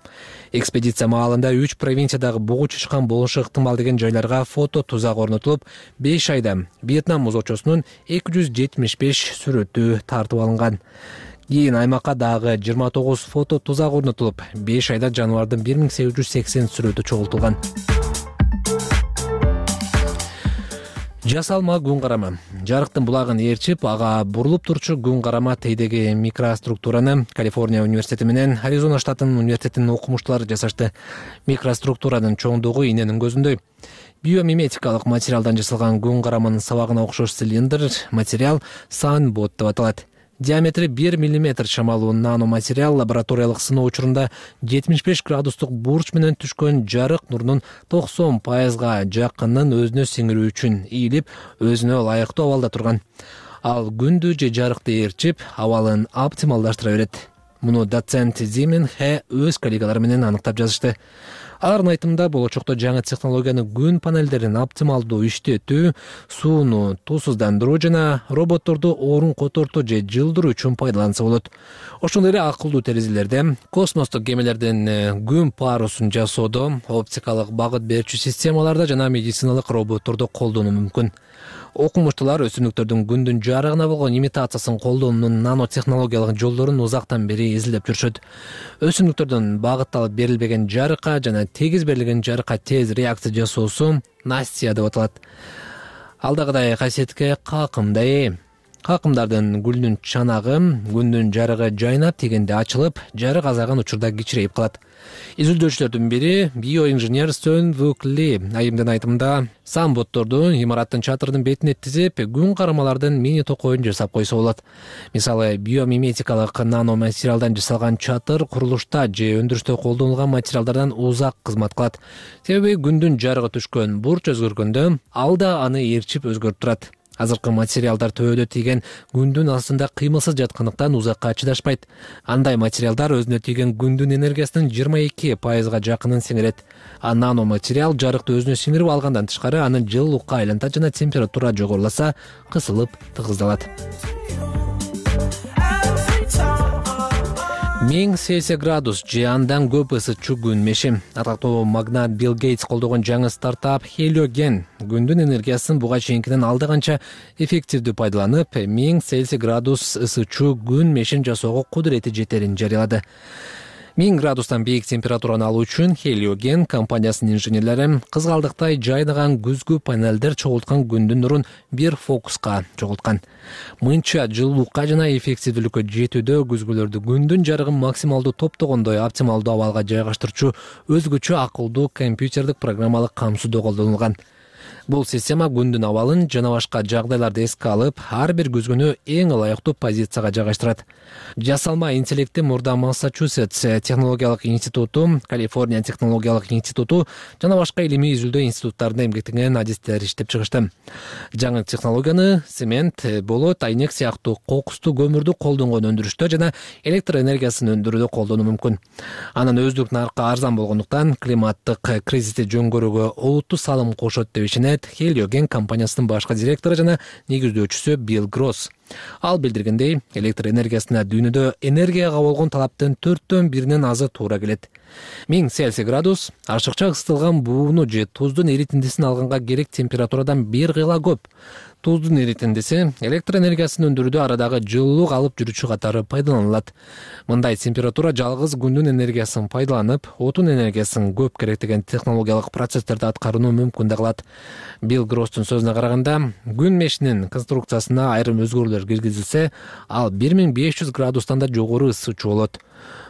Экспедиция маалында үч провинциядагы бугу чычкан болушу ыктымал деген жайларга фото тузак орнотулуп, беш айда Вьетнам музоочосунун эки жүз жетимиш беш сүрөтү тартып алынган. Кийин аймакка дагы жыйырма тогуз фото тузак орнотулуп, беш айда жаныбардын бир миң сегиз жүз сексен сүрөтү чогултулган. Жасалма күн карама. Жарыктын булагын ээрчип, ага бурулуп турчу күн карама тейдеги микроструктураны Калифорния университети менен Аризона штатынын университетинин окумуштуулары жасашты. Микроструктуранын чоңдугу иненин көзүндөй. Биомиметикалык материалдан жасалган күн караманын сабагына окшош цилиндр материал Sunbot деп аталат. Диаметри бир миллиметр чамалуу наноматериал лабораториялык сыноо учурунда жетимиш беш градустук бурч менен түшкөн жарык нурунун токсон пайызга жакынын өзүнө сиңирүү үчүн ийилип, өзүнө ылайыктуу абалда турган. Ал күндү же жарыкты ээрчип, абалын оптималдаштыра берет. Муну доцент Зимин Хэ өз коллегалары менен аныктап жазышты. Алардын айтымында болочокто жаңы технологияны күн панелдерин оптималдуу иштетүү, сууну туусуздандыруу жана роботторду орун котортуу же жылдыруу үчүн пайдаланса болот. Ошондой эле акылдуу терезелерде, космостук кемелердин күн парусун жасоодо, оптикалык багыт берүүчү системаларда жана медициналык роботторду колдонуу мүмкүн. Окумуштуулар өсүмдүктөрдүн күндүн жарыгына болгон имитациясын колдонуунун нанотехнологиялык жолдорун узактан бери изилдеп жүрүшөт. Өсүмдүктөрдөн багытталып берилбеген жарыкка жана тегиз берилген жарыкка тез реакция жасоосу Настя деп аталат. Алдагыдай касиетке какымда ээ. Какымдардын гүлүнүн чанагы күндүн жарыгы жайнап тигенде ачылып, жарык азайган учурда кичирейип калат. Изилдөөчүлөрдүн бири биоинженер Сөн Вук Ли айымдын айтымында самботторду имараттын чатырынын бетине тизип, күн карамалардын мини токойун жасап койсо болот. Мисалы, биомиметикалык наноматериалдан жасалган чатыр курулушта же өндүрүштө колдонулган материалдардан узак кызмат кылат. Себеби күндүн жарыгы түшкөн бурч өзгөргөндө ал да аны ээрчип өзгөртүп турат. Азыркы материалдар төбөдө тийген күндүн астында кыймылсыз жаткандыктан узакка чыдашпайт. Андай материалдар өзүнө тийген күндүн энергиясынын жыйырма эки пайызга жакынын сиңирет. А наноматериал жарыкты өзүнө сиңирип алгандан тышкары аны жылуулукка айлантат жана температура жогоруласа кысылып тыгыздалат. миң Цельсий градус же андан көп ысытчу күн меши. Атактуу магнат Билл Гейтс колдогон жаңы стартап Heliogen күндүн энергиясын буга чейинкиден алда канча эффективдүү пайдаланып, миң Цельсий градус ысытчу күн мешин жасоого кудурети жетерин жарыялады. миң градустан бийик температураны алуу үчүн Heliogen компаниясынын инженерлери кызгалдыктай жайнаган күзгү панелдер чогулткан күндүн нурун бир фокуска чогулткан. Мынча жылуулукка жана эффективдүүлүккө жетүүдө күзгүлөрдү күндүн жарыгын максималдуу топтогондой оптималдуу абалга жайгаштырчу өзгөчө акылдуу компьютерлик программалык камсыздоо колдонулган. Бул система күндүн абалын жана башка жагдайларды эске алып, ар бир күзгүнү эң ылайыктуу позицияга жайгаштырат. Жасалма интеллекти мурда Массачусетс технологиялык институту, Калифорния технологиялык институту жана башка илимий изилдөө институттарында эмгектенген адистер иштеп чыгышты. Жаңы технологияны цемент, болот, айнек сыяктуу кокустуу көмүрдү колдонгон өндүрүштө жана электр энергиясын өндүрүүдө колдонуу мүмкүн. Анын өздүк наркка арзан болгондуктан климаттык кризисти жөнгөрүүгө олуттуу салым кошот деп ишенет Heliogen компаниясынын башкы директору жана негиздөөчүсү Билл Гросс. Ал билдиргендей, электр энергиясына дүйнөдө энергияга болгон талаптын төрттөн биринен азы туура келет. миң Цельсий градус ашыкча ысытылган бууну же туздун эритиндисин алганга керек температурадан бир кыйла көп. Туздун эритиндиси электр энергиясын өндүрүүдө арадагы жылуулук алып жүрүүчү катары пайдаланылат. Мындай температура жалгыз күндүн энергиясын пайдаланып, отун энергиясын көп керектеген технологиялык процесстерди аткарууну мүмкүн да кылат. Билл Гросстун сөзүнө караганда, күн мешинин конструкциясына айрым өзгөрүүлөр киргизилсе, ал бир миң беш жүз градустан да жогору ысытчу болот.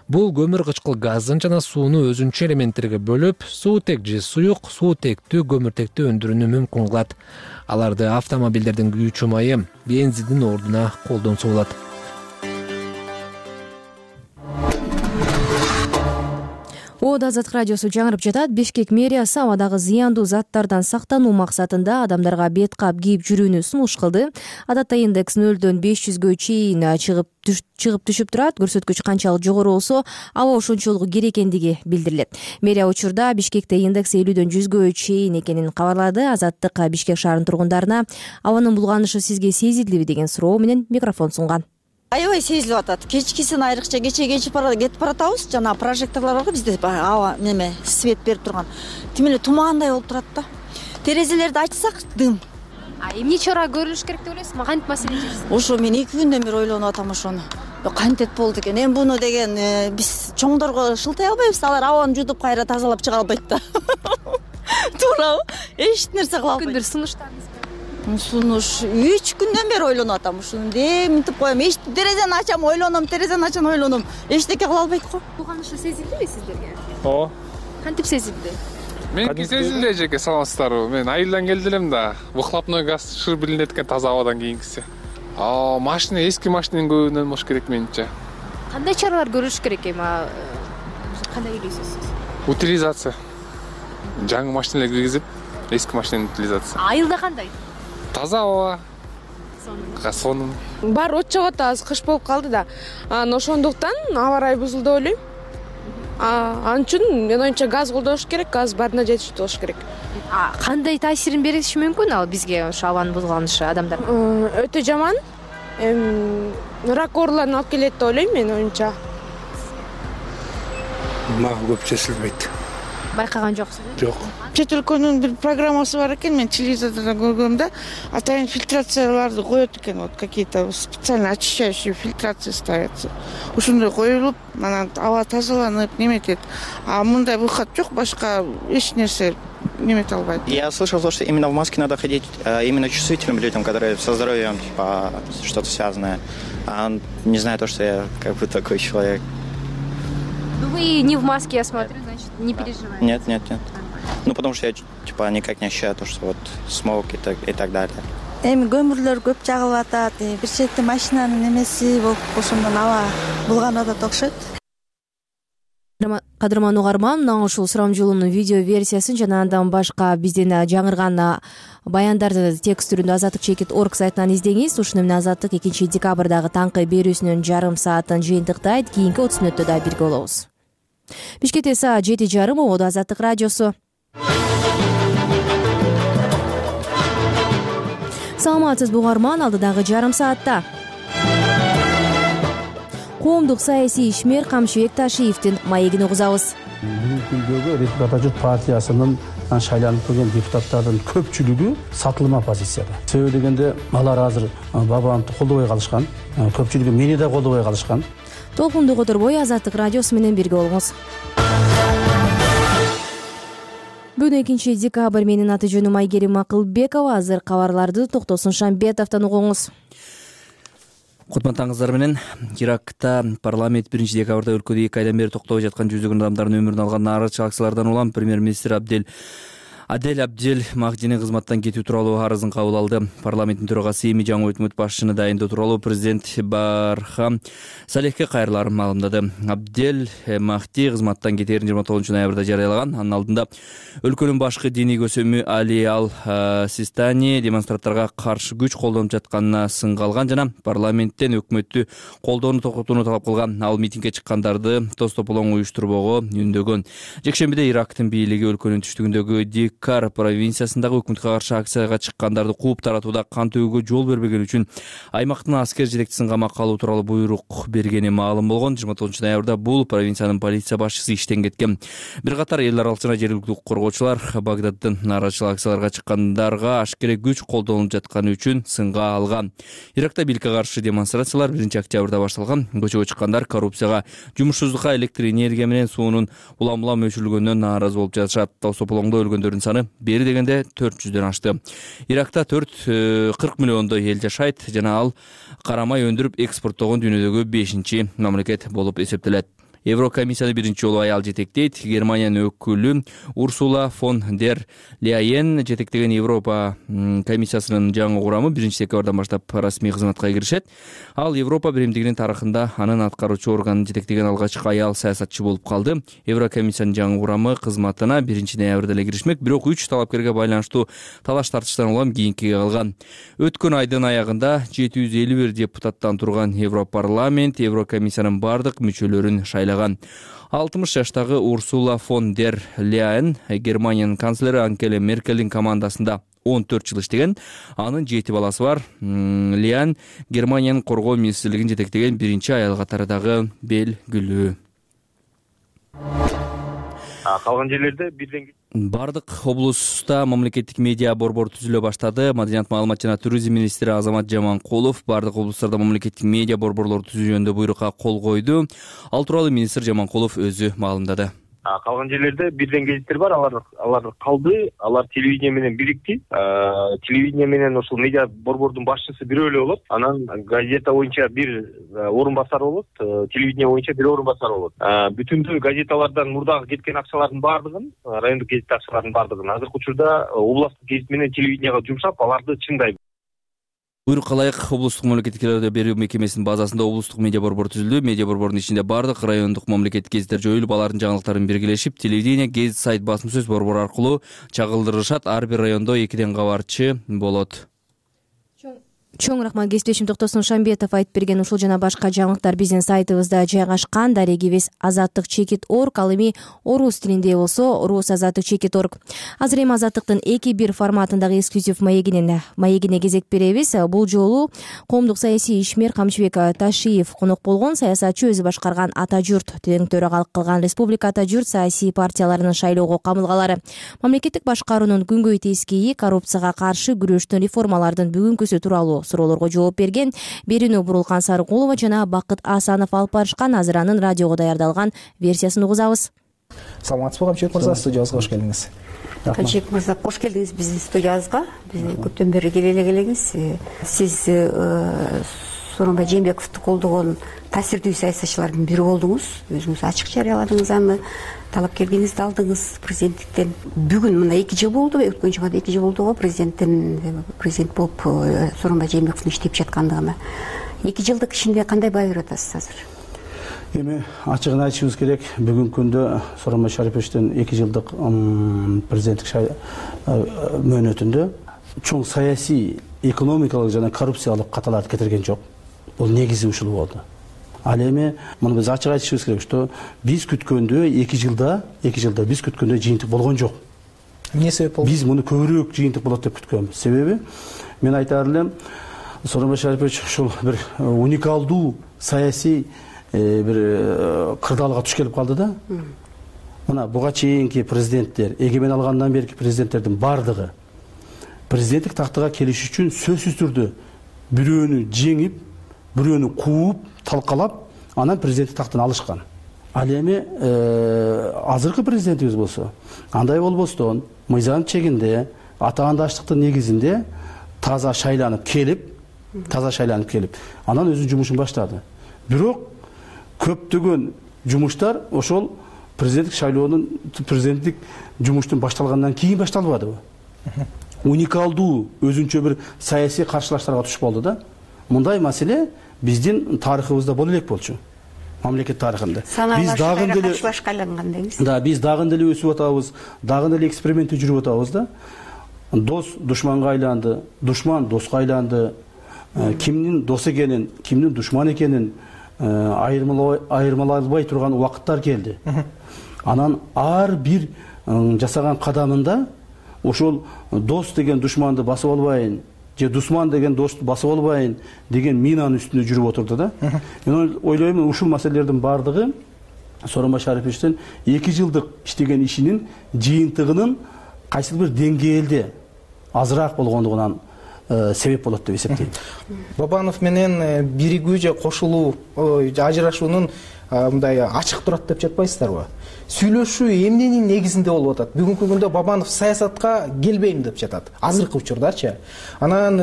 Бул көмүр кычкыл газын жана сууну өзүнчө элементтерге бөлүп, суутек же суюк, суутектүү көмүртекти өндүрүүнү мүмкүн кылат. Аларды автомобилдердин күйүүчү майы, бензиндин ордуна колдонсо болот. Ода Азаттык радиосу жаңырып жатат. Бишкек мэриясы абадагы зыяндуу заттардан сактануу максатында адамдарга бет кап кийип жүрүүнү сунуш кылды. Адатта индекс нөлдөн беш жүзгө чейин чыгып чыгып түшүп турат. Көрсөткүч канчалык жогору болсо, аба ошончолук кир экендиги билдирилет. Мэрия учурда Бишкекте индекс элүүдөн жүзгө чейин экенин кабарлады. Азаттык Бишкек шаарынын тургундарына абанын булганышы сизге сезилдиби деген суроо менен микрофон сунган. Аябай сезилип атат. Кечкисин айрыкча кече кече кетип баратабыз. Жана прожекторлор барго бизде аба неме свет берип турган. Тим эле тумаандай болуп турат да. Терезелерди ачсак дым. А эмне чара көрүлүш керек деп ойлойсузбу? Кантип маселе чечилсин? Ошо мен эки күндөн бери ойлонуп атам ошону. Кантет болду экен. Эми буну деген биз чоңдорго шылтай албайбыз. Алар абаны жутуп кайра тазалап чыга албайт да. Туурабы? Эч нерсе кыла албайт. Күндөр сунуштарыңыз Сунуш үч күндөн бери ойлонуп атам. Ушуну деминтип коем. Эч терезени ачам, ойлоном, терезени ачам, ойлоном. Эчтеке кыла албайт го. Булганышы сезилдиби сиздерге? Ооба. Кантип сезилди? Меники сезилди эжеке, саламатсыздарбы? Мен айылдан келди элем да. Выхлопной газ шыр билинет экен таза абадан кийинкиси. А машина, эски машинанын көбүнөн болуш керек менимче. Кандай чаралар көрүлүш керек эми? Кандай ойлойсуз сиз? Утилизация. Жаңы машиналар киргизип, эски машинанын утилизациясы. Айылда кандай? Таза аба. Сонун. Бар от чыгып атат, азыр кыш болуп калды да. Анан ошондуктан аба ырайы бузулду деп ойлойм. Ал үчүн менин оюмча газ колдош керек, газ баарына жетиштүү болуш керек. Кандай таасирин бериши мүмкүн ал бизге ошо абанын бузулушу адамдар? Өтө жаман. Рак ооруларын алып келет деп ойлойм менин оюмча. Мага көп чечилбейт. Байкаган жоксуз? Жок. Чет өлкөнүн бир программасы бар экен, мен телевизордон көргөм да, атайын фильтрацияларды коет экен, вот какие-то специально очищающие фильтрации ставятся. Ушундай коюлуп, анан аба тазаланып, неметет. А мындай выход жок, башка эч нерсе немете албайт. Я слышал то, что именно в маске надо ходить именно чувствительным людям, которые со здоровьем типа что-то связанное. А не знаю то, что я как бы такой человек. Вы не в маске, я смотрю, значит, не переживаете? Нет, нет, нет. Ну, потому что я типа никак не ощущаю то, что вот смог и так, и так далее. Эми көмүрлөр көп жагылып атат, бир чети машинанын немеси болуп ошондон аба булганып атат окшойт. Кадырман угарман, мына ушул сурамжылоонун видео версиясын жана андан башка бизден жаңырган баяндарды текст түрүндө азаттык чекит орг сайтынан издеңиз. Ушуну менен азаттык экинчи декабрдагы таңкы берүүсүнүн жарым саатын жыйынтыктайт. Кийинки отуз мүнөттө да бирге болобуз. Бишкекте саат жети жарым, ободо Азаттык радиосу. Саламатсызбы угарман, алдыдагы жарым саатта коомдук саясий ишмер Камчыбек Ташиевдин маегин угузабыз. Бүгүнкү күндөгү Республика Атажурт партиясынын шайланып келген депутаттардын көпчүлүгү сатылма позицияда. Себеби дегенде алар азыр бабамды колдобой калышкан, көпчүлүгү мени да колдобой калышкан. Толкунду которбой Азаттык радиосу менен бирге болуңуз. Бүгүн экинчи декабрь, менин аты жөнүм Айгерим Акылбекова. Азыр кабарларды Токтосун Шамбетовдон угуңуз. Кутмандыңыздар менен. Иракта парламент биринчи декабрда өлкөдө эки айдан бери токтобой жаткан жүздөгөн адамдардын өмүрүн алган нааразычылык акциялардан улам премьер-министр Абдель Адель Абдель Махдини кызматтан кетүү тууралуу арызын кабыл алды. Парламенттин төрагасы эми жаңы өкмөт башчыны дайындоо тууралуу президент Бархам Салехке кайрыларын маалымдады. Абдель Махди кызматтан кетээрин жыйырма тогузунчу ноябрда жарыялаган. Анын алдында өлкөнүн башкы диний көсөмү Али Ал Систани демонстранттарга каршы күч колдонуп жатканына сынга алган жана парламенттен өкмөттү колдоону токотууну талап кылган. Ал митингге чыккандарды тоз тополоң уюштурбоого үндөгөн. Жекшембиде Ирактын бийлиги өлкөнүн түштүгүндөгү Дикар провинциясындагы өкмөткө каршы акцияга чыккандарды кууп таратууда кан төгүүгө жол бербеген үчүн аймактын аскер жетекчисин камакка алуу тууралуу буйрук бергени маалым болгон. жыйырма тогузунчу ноябрда бул провинциянын полиция башчысы иштен кеткен. Бир катар эл аралык жана жергиликтүү укук коргоочулар Багдаддын нааразычылык акцияларга чыккандарга ашкере күч колдонулуп жатканы үчүн сынга алган. Иракта бийликке каршы демонстрациялар биринчи октябрда башталган. Көчөгө чыккандар коррупцияга, жумушсуздукка, электр энергия менен суунун улам-улам өчүрүлгөнүнөн нааразы болуп жатышат. Тосополоңдо өлгөндөрдүн саны бери дегенде төрт жүздөн ашты. Иракта төрт кырк миллиондой эл жашайт жана ал карамай өндүрүп экспорттогон дүйнөдөгү бешинчи мамлекет болуп эсептелет. Еврокомиссияны биринчи жолу аял жетектейт. Германиянын өкүлү Урсула фон дер Ляйен жетектеген Европа комиссиясынын жаңы курамы биринчи декабрдан баштап расмий кызматка киришет. Ал Европа биримдигинин тарыхында анын аткаруучу органын жетектеген алгачкы аял саясатчы болуп калды. Еврокомиссиянын жаңы курамы кызматына биринчи ноябрда эле киришмек, бирок үч талапкерге байланыштуу талаш тартыштан улам кийинкиге калган. Өткөн айдын аягында жети жүз элүү бир депутаттан турган Европарламент Еврокомиссиянын бардык мүчөлөрүн шайлаган. алтымыш жаштагы Урсула фон дер Ляйен Германиянын канцлери Ангела Меркелдин командасында он төрт жыл иштеген. Анын жети баласы бар. Ляйен Германиянын коргоо министрлигин жетектеген биринчи аял катарындагы белгилүү. Калган жерлерде бирден бардык облуста мамлекеттик медиа борбор түзүлө баштады. Маданият, маалымат жана туризм министри Азамат Жаманкулов бардык облустарда мамлекеттик медиа борборлорду түзүү жөнүндө буйрукка кол койду. Ал тууралуу министр Жаманкулов өзү маалымдады. Калган жерлерде бирден гезиттер бар, алар алар калды, алар телевидение менен бирикти. Телевидение менен ошол медиа борбордун башчысы бирөө эле болот. Анан газета боюнча бир орун басар болот, телевидение боюнча бир орун басар болот. Бүтүндүү газеталардан мурдагы кеткен акчалардын баардыгын, райондук гезит акчаларынын баардыгын азыркы учурда областтык гезит менен телевиденияга жумшап, аларды чыңдайбыз. Буйрукка ылайык облустук мамлекеттик радио берүү мекемесинин базасында облустук медиа борбор түзүлдү. Медиа борбордун ичинде бардык райондук мамлекеттик гезиттер жоюлуп, алардын жаңылыктарын биргелешип, телевидение, гезит, сайт, басма сөз борбору аркылуу чагылдырышат. Ар бир райондо экиден кабарчы болот. чоң рахмат кесиптешим Токтосун Шамбетов айтып берген ушул жана башка жаңылыктар биздин сайтыбызда жайгашкан. Дарегибиз азаттык чекит орг, ал эми орус тилинде болсо рус азаттык чекит орг. Азыр эми азаттыктын эки бир форматындагы эксклюзив маегинен маегине кезек беребиз. Бул жолу коомдук саясий ишмер Камчыбек Ташиев конок болгон. Саясатчы өзү башкарган Ата журт тең төрагалык кылган Республика Ата журт саясий партияларынын шайлоого камылгалары, мамлекеттик башкаруунун күнгөй тескейи, коррупцияга каршы күрөштүн реформалардын бүгүнкүсү тууралуу суроолорго жооп берген. Берүүнү Бурулкан Сарыкулова жана Бакыт Асанов алып барышкан. Азыр анын радиого даярдалган версиясын угузабыз. Саламатсызбы Камчыбек мырза, студиябызга кош келиңиз. Камчыбек мырза, кош келдиңиз биздин студиябызга. Биз көптөн бери келе эле келеңиз. Сиз Сооронбай Жээнбековду колдогон таасирдүү саясатчылардын бири болдуңуз. Өзүңүз ачык жарыяладыңыз аны, талапкерлигиңизди алдыңыз президенттиктен. Бүгүн мына эки жыл болду, өткөн жумада эки жыл болду го президенттин президент болуп Сооронбай Жээнбековдун иштеп жаткандыгына. эки жылдык ишинде кандай баа берип атасыз азыр? Эми ачыгын айтышыбыз керек, бүгүнкү күндө Сооронбай Шариповичтин эки жылдык президенттик мөөнөтүндө чоң саясий, экономикалык жана коррупциялык каталарды кетирген жок. Бул негизи ушул болду. Ал эми муну биз ачык айтышыбыз керек, что биз күткөндө эки жылда, эки жылда биз күткөндө жыйынтык болгон жок. Эмне себеп болду? Биз муну көбүрөөк жыйынтык болот деп күткөнбүз. Себеби мен айтаар элем, Сооронбай Шарипович ушул бир уникалдуу саясий бир кырдаалга туш келип калды да. Мына буга чейинки президенттер, эгемен алгандан берки президенттердин бардыгы президенттик тактыга келиш үчүн сөзсүз түрдө бирөөнү жеңип, бирөөнү кууп, талкалап, анан президенттик тактын алышкан. Ал эми азыркы президентибиз болсо, андай болбостон, мыйзам чегинде, атаандаштыктын негизинде таза шайланып келип, таза шайланып келип, анан өзүнүн жумушун баштады. Бирок көптөгөн жумуштар ошол президенттик шайлоонун, президенттик жумуштун башталгандан кийин башталбадыбы? Уникалдуу өзүнчө бир саясий каршылаштарга туш болду да. Мындай маселе биздин тарыхыбызда боло элек болчу. Мамлекет тарыхында. Биз дагы деле каршылашка айланган дейбиз. Да, биз дагы деле өсүп атабыз, дагы деле экспериментте жүрүп атабыз да. Дос душманга айланды, душман доска айланды. Кимдин дос экенин, кимдин душман экенин айырмалай албай турган убакыттар келди. Анан ар бир жасаган кадамында ошол дос деген душманды басып албайын, же душман деген досту басып албайын деген минанын үстүндө жүрүп отурду да. Мен ойлойм, ушул маселелердин бардыгы Сооронбай Шариповичтин эки жылдык иштеген ишинин жыйынтыгынын кайсыл бир деңгээлде азыраак болгондугунан себеп болот деп эсептейм. Бабанов менен биригүү же кошулуу, ажырашуунун мындай ачык турат деп жатпайсыздарбы? Сүйлөшүү эмненин негизинде болуп атат? Бүгүнкү күндө Бабанов саясатка келбейм деп жатат. Азыркы учурдачы. Анан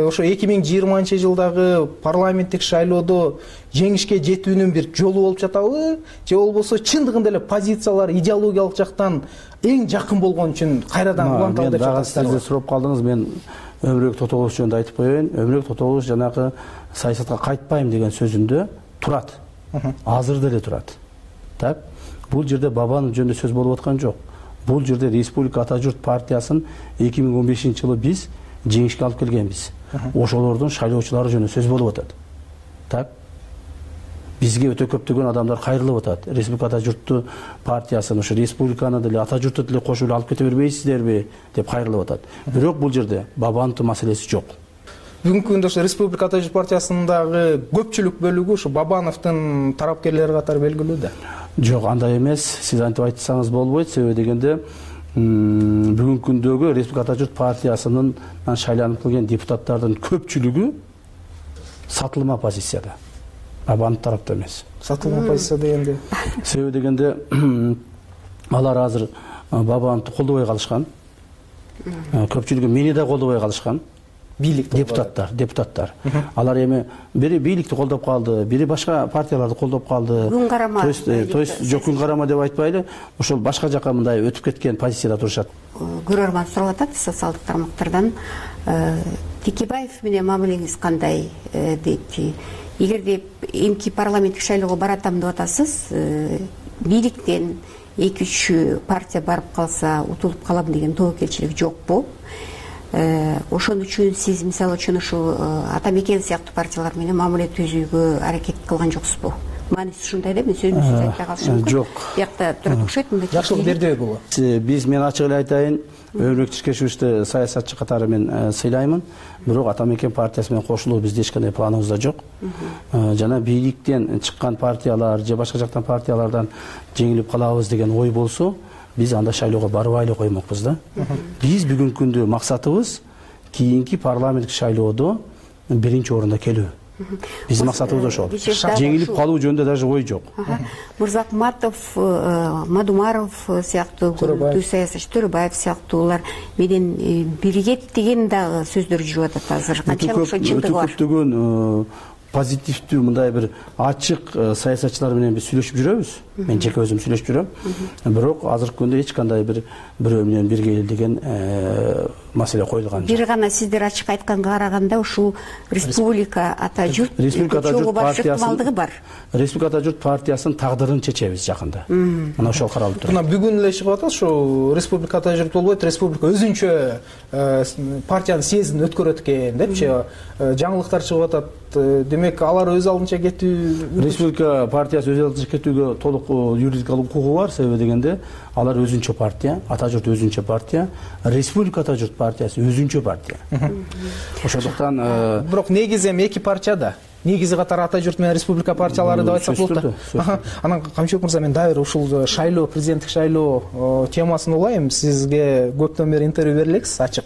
ошо эки миң жыйырманчы жылдагы парламенттик шайлоодо жеңишке жетүүнүн бир жолу болуп жатабы? Же болбосо чындыгында эле позициялар идеологиялык жактан эң жакын болгон үчүн кайрадан уланталы деп жатасыздар? Сиз сурап калдыңыз, мен Өмүрбек Тотолович жөнүндө айтып коеюн. Өмүрбек Тотолович жанагы саясатка кайтпайм деген сөзүндө турат. Азыр деле турат. Так? Бул жерде Бабанов жөнүндө сөз болуп аткан жок. Бул жерде Республика Ата журт партиясын эки миң он бешинчи жылы биз жеңишке алып келгенбиз. Ошолордун шайлоочулары жөнүндө сөз болуп атат. Так? Бизге өтө көптөгөн адамдар кайрылып атат. Республика Ата журтту партиясын, ошо республиканы деле Ата журтту деле кошуп алып кете бербейсиздерби деп кайрылып атат. Бирок бул жерде Бабановдун маселеси жок. Бүгүнкү күндө ошо Республика Ата журт партиясындагы көпчүлүк бөлүгү ошо Бабановдун тарапкерлери катары белгилүү да. Жок, андай эмес. Сиз антип айтсаңыз болбойт. Себеби дегенде бүгүнкү күндөгү Республика Ата журт партиясынын шайланып келген депутаттардын көпчүлүгү сатылма позицияда. Бабанов тарапта эмес. Сатылма позиция дегенде? Себеби дегенде алар азыр Бабановду колдобой калышкан. Көпчүлүгү мени да колдобой калышкан. Бийлик депутаттар, депутаттар. Алар эми бири бийликти колдоп калды, бири башка партияларды колдоп калды. Күн карама. То есть, то есть жок күн карама деп айтпайлы, ошол башка жака мындай өтүп кеткен позицияда турушат. Көрөрман сурап атат социалдык тармактардан, Текебаев менен мамилеңиз кандай дейт. Эгерде эмки парламенттик шайлоого баратам деп атасыз, бийликтен эки үч партия барып калса утулуп калам деген тобокелчилик жокпу? ошон үчүн сиз мисалы үчүн ушул Ата Мекен сыяктуу партиялар менен мамиле түзүүгө аракет кылган жоксузбу? Мааниси ушундай да, мен сөзүмдү айтпай калышым мүмкүн. Жок. Биякта турат окшойт мындай. Жакшылык бердиби бул? Биз мен ачык эле айтайын, Өрмөк Чиркешевичти саясатчы катары мен сыйлаймын, бирок Ата Мекен партиясы менен кошулуу бизде эч кандай планыбызда жок. Жана бийликтен чыккан партиялар же башка жактан партиялардан жеңилип калабыз деген ой болсо, биз анда шайлоого барбай эле коймокпуз да. Биз бүгүнкү күндө максатыбыз кийинки парламенттик шайлоодо биринчи орунда келүү. Биздин максатыбыз ошол. Жеңилип калуу жөнүндө даже ой жок. Мырзакматов, Мадумаров сыяктуу көрүнүктүү саясатчы, Төрөбаев сыяктуулар менен биригет деген дагы сөздөр жүрүп атат азыр. Канчалык ошо чындыгы бар? Көптөгөн позитивдүү мындай бир ачык саясатчылар менен биз сүйлөшүп жүрөбүз. Мен жеке өзүм сүйлөшүп жүрөм. Бирок азыркы күндө эч кандай бир бирөө менен бирге эл деген маселе коюлган жок. Бир гана сиздер ачык айтканга караганда ушул Республика Ата журт Республика Ата журт партиясынын бар. Республика Ата журт партиясынын тагдырын чечебиз жакында. Мына ошол каралып турат. Мына бүгүн эле чыгып атат, ошо Республика Ата журт болбойт, Республика өзүнчө партиянын съездин өткөрөт экен депчи жаңылыктар чыгып атат. Демек алар өз алдынча кетүү, Республика партиясы өз алдынча кетүүгө толук юридикалык укугу бар. Себеби дегенде алар өзүнчө партия, Ата журт өзүнчө партия, Республика Ата журт партиясы өзүнчө партия. Ошондуктан бирок негизи эми эки партия да. Негизи катары Ата журт менен Республика партиялары деп айтсак болот да. Анан Камчыбек мырза, мен дагы бир ушул шайлоо, президенттик шайлоо темасын улайм. Сизге көптөн бери интервью бере элексиз ачык.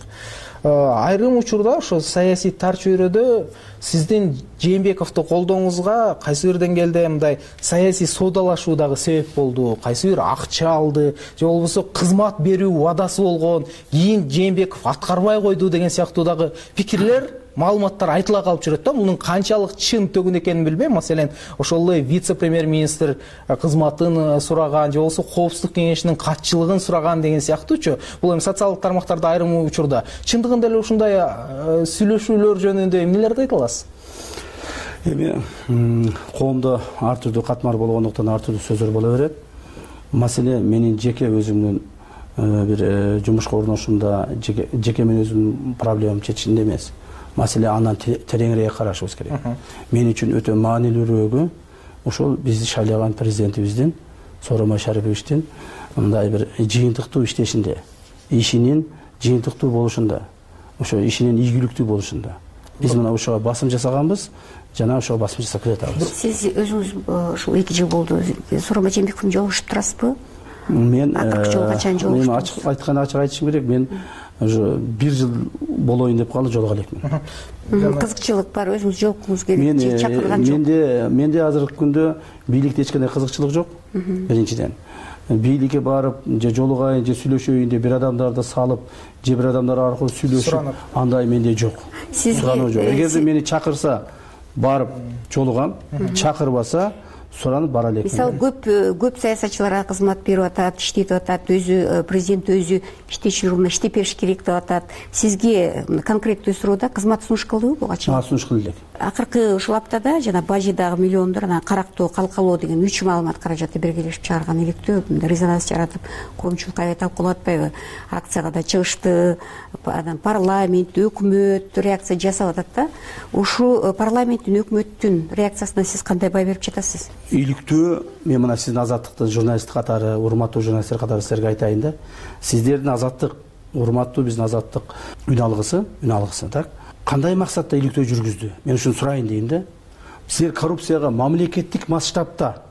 Айрым учурда ошо саясий тар чөйрөдө сиздин Жээнбековду колдооңузга кайсы бир деңгээлде мындай саясий соодалашуу дагы себеп болду. Кайсы бир акча алды же болбосо кызмат берүү убадасы болгон, кийин Жээнбеков аткарбай койду деген сыяктуу дагы пикирлер, маалыматтар айтыла калып жүрөт да. Мунун канчалык чын төгүн экенин билбейм. Маселен, ошол эле вице-премьер-министр кызматын сураган же болбосо коопсуздук кеңешинин катчылыгын сураган деген сыяктуучу. Бул эми социалдык тармактарда айрым учурда чындыгында эле ушундай сүйлөшүүлөр жөнүндө эмнелерди айта аласыз? Эми коомдо ар түрдүү катмар болгондуктан ар түрдүү сөздөр боло берет. Маселе менин жеке өзүмдүн бир жумушка орношумда, жеке мен өзүмдүн проблемамды чечишинде эмес. Маселе андан тереңирээк карашыбыз керек. Мен үчүн өтө маанилүүрөөгү ошол бизди шайлаган президентибиздин, Сооронбай Шариповичтин мындай бир жыйынтыктуу иштешинде, ишинин жыйынтыктуу болушунда, ошо ишинин ийгиликтүү болушунда. Биз мына ошого басым жасаганбыз, жана ошого басым жасап келатабыз. Сиз өзүңүз ушул эки жыл болду Сооронбай Жээнбековдун жолугушуп турасызбы? Мен акыркы жолу качан жолугуштуңуз? Мен ачык айтканда ачык айтышым керек, мен уже бир жыл болоюн деп калды, жолуга элекмин. Кызыкчылык бар, өзүңүз жолуккуңуз келип же чакырган жок? Менде менде азыркы күндө бийликте эч кандай кызыкчылык жок. Биринчиден, бийликке барып же жолугайын же сүйлөшөйүн деп бир адамдарды салып, же бир адамдар аркылуу сүйлөшүп, андай менде жок. Сурануу жок. Эгерде мени чакырса барып жолугам, чакырбаса суранып бара элекмин. Мисалы, көп көп саясатчыларга кызмат берип атат, иштетип атат, өзү президент өзү иштечи журумда иштеп бериш керек деп атат. Сизге конкреттүү суроодо кызмат сунуш кылдыбы буга чейин? А, сунуш кылды элек. Акыркы ушул аптада жана Бажидагы миллиондор, анан Карактоо, Калкалоо деген үч маалымат каражаты биргелешип чыгарган иликтөө резонанс жаратып, коомчулук аябай талкуулап атпайбы? Акцияга да чыгышты, анан парламент, өкмөт реакция жасап атат да. Ушул парламенттин, өкмөттүн реакциясына сиз кандай баа берип жатасыз? Иликтөө, мен мына сиздин Азаттыктын журналисти катары, урматтуу журналисттер катары силерге айтайын да. Сиздердин Азаттык, урматтуу биздин Азаттык үн алгысы, үн алгысы, так? Кандай максатта иликтөө жүргүздү? Мен ушуну сурайын дейм да. Силер коррупцияга мамлекеттик масштабта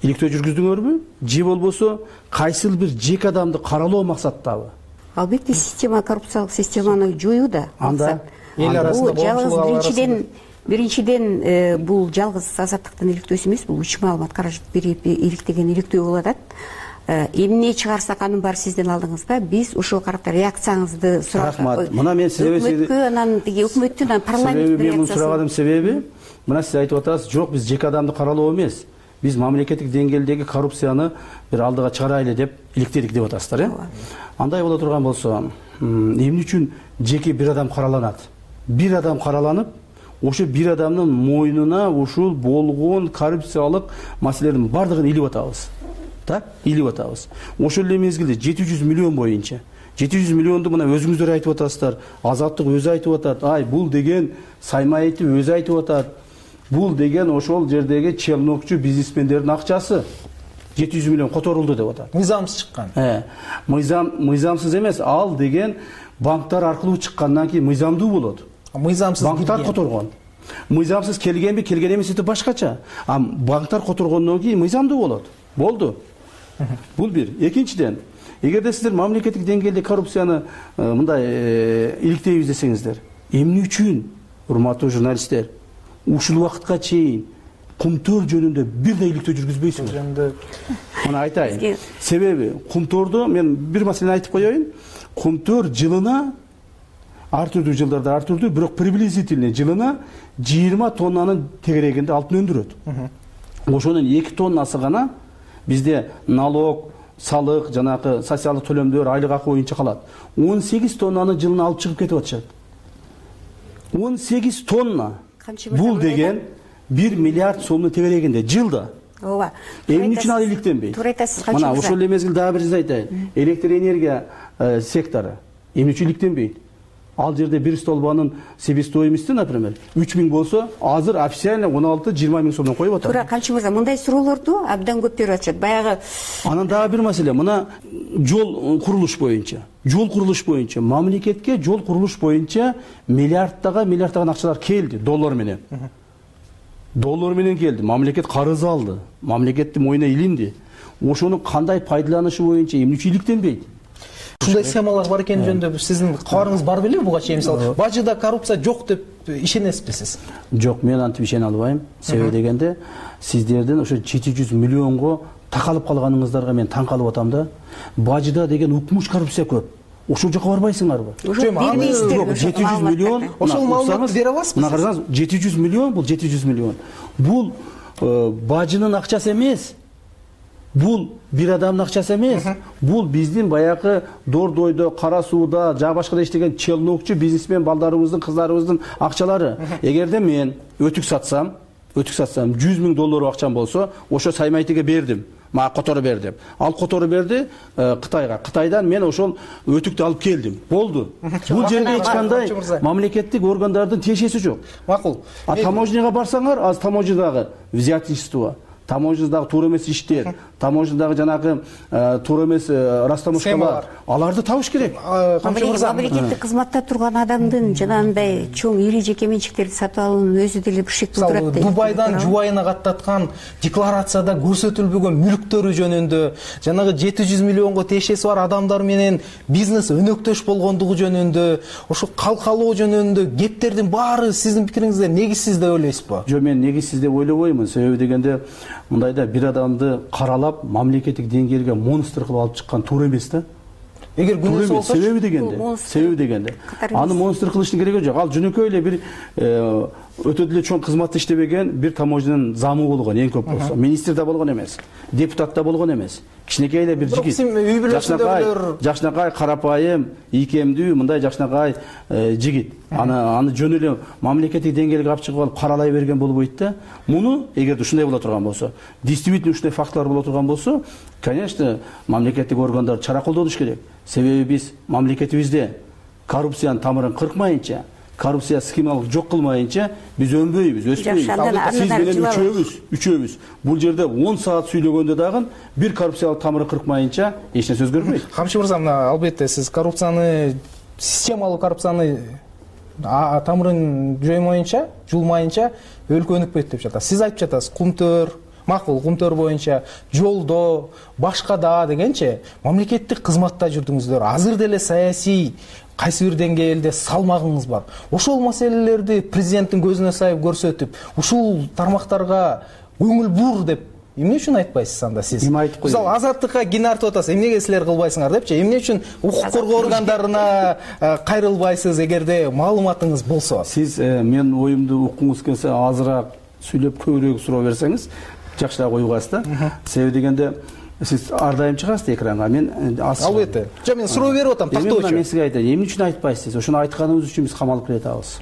иликтөө жүргүздүңөрбү? Же болбосо кайсыл бир жеке адамды каралоо максаттабы? Албетте, система, коррупциялык системаны жоюу да. Анда эл арасында биринчиден Биринчиден, бул жалгыз Азаттыктын иликтөөсү эмес, бул үч маалымат каражат берип иликтеген иликтөө болуп атат. Эмне чыгарсак анын баары сиздин алдыңызда, биз ошого карата реакцияңызды сурап. Рахмат. Мына мен сизге өкмөткө, анан тиги өкмөттүн, анан парламенттин реакциясы. Мен сураганымдын себеби, мына сиз айтып атасыз, жок, биз жеке адамды каралоо эмес, биз мамлекеттик деңгээлдеги коррупцияны бир алдыга чыгарайлы деп иликтедик деп атасыздар, э? Андай боло турган болсо, эмне үчүн жеке бир адам караланат? Бир адам караланып, ошо бир адамдын мойнуна ушул болгон коррупциялык маселелердин бардыгын илип атабыз. Так, илип атабыз. Ошол эле мезгилде жети жүз миллион боюнча жети жүз миллионду мына өзүңүздөр айтып атасыздар, Азаттык өзү айтып атат, ай бул деген Саймаевдин өзү айтып атат, бул деген ошол жердеги челнокчу бизнесмендердин акчасы жети жүз миллион которулду деп атат. Мыйзамсыз чыккан. Э, мыйзам мыйзамсыз эмес, ал деген банктар аркылуу чыккандан кийин мыйзамдуу болот. Мыйзамсыз банктар которгон. Мыйзамсыз келгенби, келген эмес это башкача. А банктар которгондон кийин мыйзамдуу болот. Болду. Бул бир. Экинчиден, эгерде сиздер мамлекеттик деңгээлде коррупцияны мындай иликтейбиз десеңиздер, эмне үчүн, урматтуу журналисттер, ушул убакытка чейин кумтөр жөнүндө бир да иликтөө жүргүзбөйсүңөр? Мына айтайын. Себеби кумторду мен бир маселени айтып коеюн. Кумтөр жылына ар түрдүү жылдарда ар түрдүү, бирок приблизительно жылына жыйырма тоннанын тегерегинде алтын өндүрөт. Ошонун эки тоннасы гана бизде налог, салык, жанагы социалдык төлөмдөр, айлык акы боюнча калат. он сегиз тоннаны жылына алып чыгып кетип атышат. он сегиз тонна. Бул деген бир миллиард сомдун тегерегинде жылда. Ооба. Эмне үчүн ал иликтенбейт? Туура айтасыз, канча мына ошол эле мезгилде дагы бир нерсе айтайын. Электр энергия сектору эмне үчүн иликтенбейт? Ал жерде бир столбанын себестоимости, например, үч миң болсо, азыр официально он алты жыйырма миң сомдон коюп атат. Туура, Камчы мырза, мындай суроолорду абдан көп берип атышат. Баягы анан дагы бир маселе, мына жол курулуш боюнча, жол курулуш боюнча, мамлекетке жол курулуш боюнча миллиардтага миллиардтаган акчалар келди доллар менен. Доллар менен келди, мамлекет карыз алды, мамлекеттин мойнуна илинди. Ошонун кандай пайдаланышы боюнча эмне үчүн иликтенбейт? Ушундай схемалар бар экен жөнүндө сиздин кабарыңыз бар беле буга чейин? Мисалы, бажыда коррупция жок деп ишенесизби сиз? Жок, мен антип ишене албайм. Себеби дегенде, сиздердин ошо жети жүз миллионго такалып калганыңыздарга мен таң калып атам да. Бажыда деген укмуш коррупция көп. Ошол жака барбайсыңарбы? жети жүз миллион. Ошол маалыматты бере аласызбы? Мына карасаңыз, жети жүз миллион, бул жети жүз миллион. Бул бажынын акчасы эмес. Бул бир адамдын акчасы эмес. Бул биздин баягы Дордойдо, Кара сууда, жана башкада иштеген челнокчу бизнесмен балдарыбыздын, кыздарыбыздын акчалары. Эгерде мен өтүк сатсам, өтүк сатсам жүз миң доллар акчам болсо, ошо Саймайтиге бердим. Мага которо бер деп. Ал которо берди Кытайга. Кытайдан мен ошол өтүктү алып келдим. Болду. Бул жерде эч кандай мамлекеттик органдардын тиешеси жок. Макул. А таможняга барсаңар, аз таможнядагы взятничество, таможнядагы туура эмес иштер, таможнядагы жанагы туура эмес растамошкалар, аларды табыш керек. Мамлекеттик кызматта турган адамдын жанагындай чоң ири жеке менчиктерди сатып алуунун өзү деле бир шек туудурат дейт. Дубайдан жубайына каттаткан декларацияда көрсөтүлбөгөн мүлктөрү жөнүндө, жанагы жети жүз миллионго тиешеси бар адамдар менен бизнес өнөктөш болгондугу жөнүндө, ошо калкалоо жөнүндө кептердин баары сиздин пикириңизде негизсиз деп ойлойсузбу? Жок, мен негизсиз деп ойлобоймун. Себеби дегенде мындайда бир адамды каралап мамлекеттик деңгээлге монстр кылып алып чыккан туура эмес да. Эгер күнөөсү болсо, себеби дегенде, себеби дегенде. Аны монстр кылыштын кереги жок. Ал жөнөкөй эле бир өтө деле чоң кызматта иштебеген бир таможнянын замы болгон, эң көп болсо. Министр да болгон эмес, депутат да болгон эмес. Кичинекей эле бир жигит. Жакшынакай, жакшынакай, карапайым, ийкемдүү, мындай жакшынакай жигит. Аны аны жөн эле мамлекеттик деңгээлге алып чыгып алып каралай берген болбойт да. Муну эгерде ушундай боло турган болсо, действительно ушундай фактылар боло турган болсо, конечно, мамлекеттик органдар чара колдонуш керек. Себеби биз мамлекетибизде коррупциянын тамырын кыркмайынча, коррупция схемалык жок кылмайынча биз өнбөйбүз, өспөйбүз. Сиз менен үчөөбүз, үчөөбүз. Бул жерде он саат сүйлөгөндө дагы бир коррупциялык тамыры кыркмайынча эч нерсе өзгөрбөйт. Камчы мырза, мына албетте сиз коррупцияны, системалык коррупцияны тамырын жоймоюнча, жулмайынча өлкө өнүкпөйт деп жатасыз. Сиз айтып жатасыз, кумтөр, макул, кумтөр боюнча, жолдо, башкада дегенче мамлекеттик кызматта жүрдүңүздөр. Азыр деле саясий кайсы бир деңгээлде салмагыңыз бар. Ошол маселелерди президенттин көзүнө сайып көрсөтүп, ушул тармактарга көңүл бур деп эмне үчүн айтпайсыз анда сиз? Мисалы, Азаттыкка кин артып атасыз, эмнеге силер кылбайсыңар депчи, эмне үчүн укук коргоо органдарына кайрылбайсыз эгерде маалыматыңыз болсо? Сиз мен оюмду уккуңуз келсе азыраак сүйлөп көбүрөөк суроо берсеңиз жакшыраак уюгасыз да. Себеби дегенде сиз ар дайым чыгасыз экранга. Мен албетте. Жок, мен суроо берип атам, тактоочу. Мен сизге айтайын, эмне үчүн айтпайсыз? Ошону айтканыбыз үчүн биз камалып келе атабыз.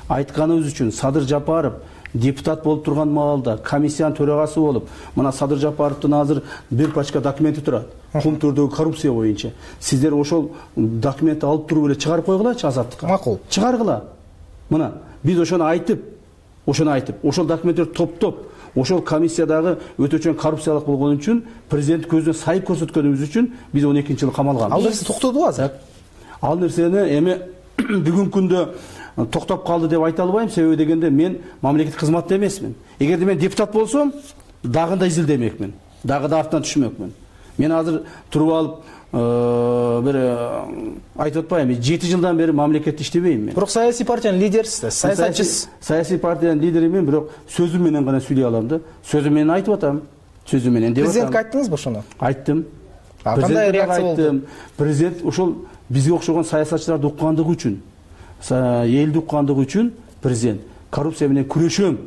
Айтканыбыз үчүн Садыр Жапаров депутат болуп турган маалда комиссиянын төрагасы болуп мына Садыр Жапаровдун азыр бир пачка документи турат кум түрдөгү коррупция боюнча. Сиздер ошол документти алып туруп эле чыгарып койгулачы Азаттыкка. Макул. Чыгаргыла. Мына биз ошону айтып, ошону айтып, ошол документтерди топтоп, ошол комиссиядагы өтө чоң коррупциялык болгон үчүн президент көзүнө сайып көрсөткөнүбүз үчүн биз он экинчи жылы камалганбыз. Ал нерсе токтодубу азыр? Ал нерсени эми бүгүнкү күндө токтоп калды деп айта албайм, себеби дегенде мен мамлекеттик кызматта эмесмин. Эгерде мен депутат болсом, дагы да изилдемекмин, дагы да артынан түшмөкмүн. Мен азыр туруп алып бир айтып атпайм, жети жылдан бери мамлекетте иштебейм мен. Бирок саясий партиянын лидерисиз, саясатчысыз. Саясий партиянын лидеримин, бирок сөзүм менен гана сүйлөй алам да. Сөзүм менен айтып атам. Сөзүм менен деп атам. Президентке айттыңызбы ошону? Айттым. Кандай реакция болду? Президент ошол бизге окшогон саясатчыларды уккандыгы үчүн, элди уккандыгы үчүн президент коррупция менен күрөшөм,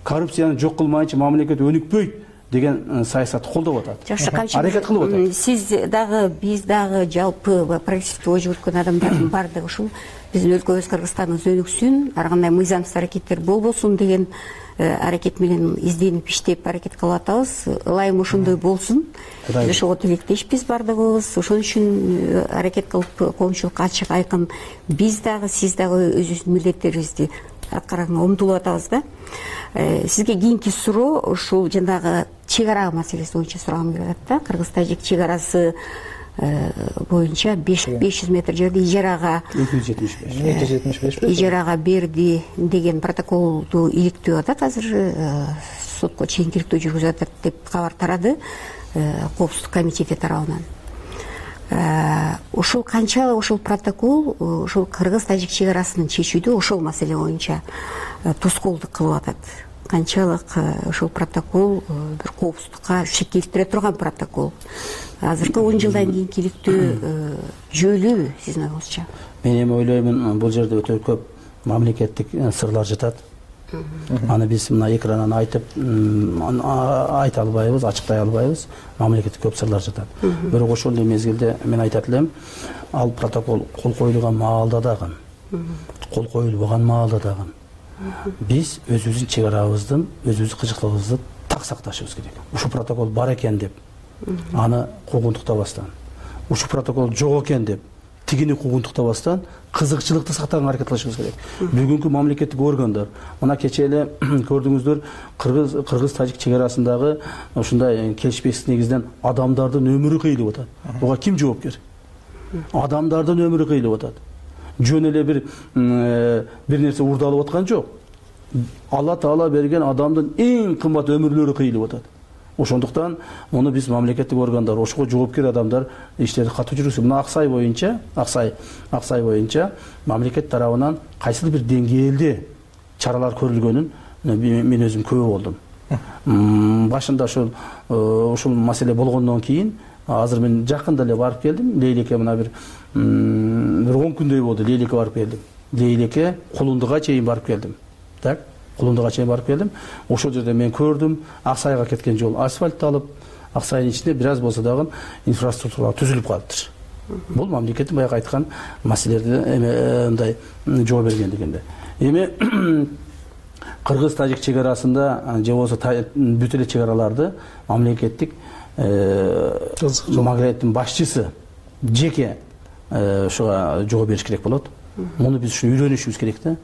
коррупцияны жок кылмайынча мамлекет өнүкпөйт деген саясатты колдоп атат. Жакшы, канча аракет кылып атат. Сиз дагы, биз дагы жалпы прогрессивдүү ой жүгүрткөн адамдардын баардыгы ушул биздин өлкөбүз Кыргызстандын өнүксүн, ар кандай мыйзамсыз аракеттер болбосун деген аракет менен изденип иштеп аракет кылып атабыз. Ылайым ошондой болсун. Биз ошого тилектешпиз баардыгыбыз. Ошон үчүн аракет кылып коомчулукка ачык айкын биз дагы, сиз дагы өзүбүздүн милдеттерибизди аткарганга умтулуп атабыз да. Сизге кийинки суроо ушул жанагы чек ара маселеси боюнча сурагым келип атат да. Кыргыз-тажик чек арасы боюнча беш жүз метр жерди ижарага эки жүз жетимиш беш эки жүз жетимиш беш ижарага берди деген протоколду иликтөө атат. Азыр сотко чейинки иликтөө жүргүзүп атат деп кабар тарады Коопсуздук комитети тарабынан. Ошол канчалык ошол протокол ошол кыргыз-тажик чек арасын чечүүдө ошол маселе боюнча тоскоолдук кылып атат. Канчалык ошол протокол бир коопсуздукка шек келтире турган протокол. Азыркы он жылдан кийинки иликтөө жөөлүүбү сиздин оюңузча? Мен эми ойлоймун, бул жерде өтө көп мамлекеттик сырлар жатат. Аны биз мына экрандан айтып айта албайбыз, ачыктай албайбыз. Мамлекетте көп сырлар жатат. Бирок ошол эле мезгилде мен айтат элем, ал протокол кол коюлган маалда дагы, кол коюлбаган маалда дагы биз өзүбүздүн чек арабыздын, өзүбүздүн кызыктылыгыбызды так сакташыбыз керек. Ушул протокол бар экен деп аны куугунтуктабастан, ушул протокол жок экен деп тигини куугунтуктабастан кызыкчылыкты сактаганга аракет кылышыбыз керек. Бүгүнкү мамлекеттик органдар, мына кечээ эле көрдүңүздөр, кыргыз кыргыз-тажик чек арасындагы ушундай келишпестик негизинен адамдардын өмүрү кыйылып атат. Буга ким жоопкер? Адамдардын өмүрү кыйылып атат. Жөн эле бир бир нерсе урдалып аткан жок. Алла Таала берген адамдын эң кымбат өмүрлөрү кыйылып атат. Ошондуктан муну биз мамлекеттик органдар, ошого жоопкер адамдар иштерди катуу жүргүзсүн. Мына Аксай боюнча, Аксай, Аксай боюнча мамлекет тарабынан кайсыл бир деңгээлде чаралар көрүлгөнүн мен өзүм күбө болдум. Башында ошол ушул маселе болгондон кийин азыр мен жакында эле барып келдим. Лейлеке мына бир бир он күндөй болду. Лейлеке барып келдим. Лейлеке Кулундуга чейин барып келдим. Так, Кулундуга чейин барып келдим. Ошол жерде мен көрдүм, Аксайга кеткен жол асфальтталып, Аксайдын ичинде бир аз болсо дагы инфраструктура түзүлүп калыптыр. Бул мамлекеттин баягы айткан маселелерди мындай жоо берген дегенде. Эми кыргыз-тажик чек арасында же болбосо бүт эле чек араларды мамлекеттик мамлекеттин башчысы жеке ушуга жоо бериш керек болот. Муну биз ушу үйрөнүшүбүз керек да.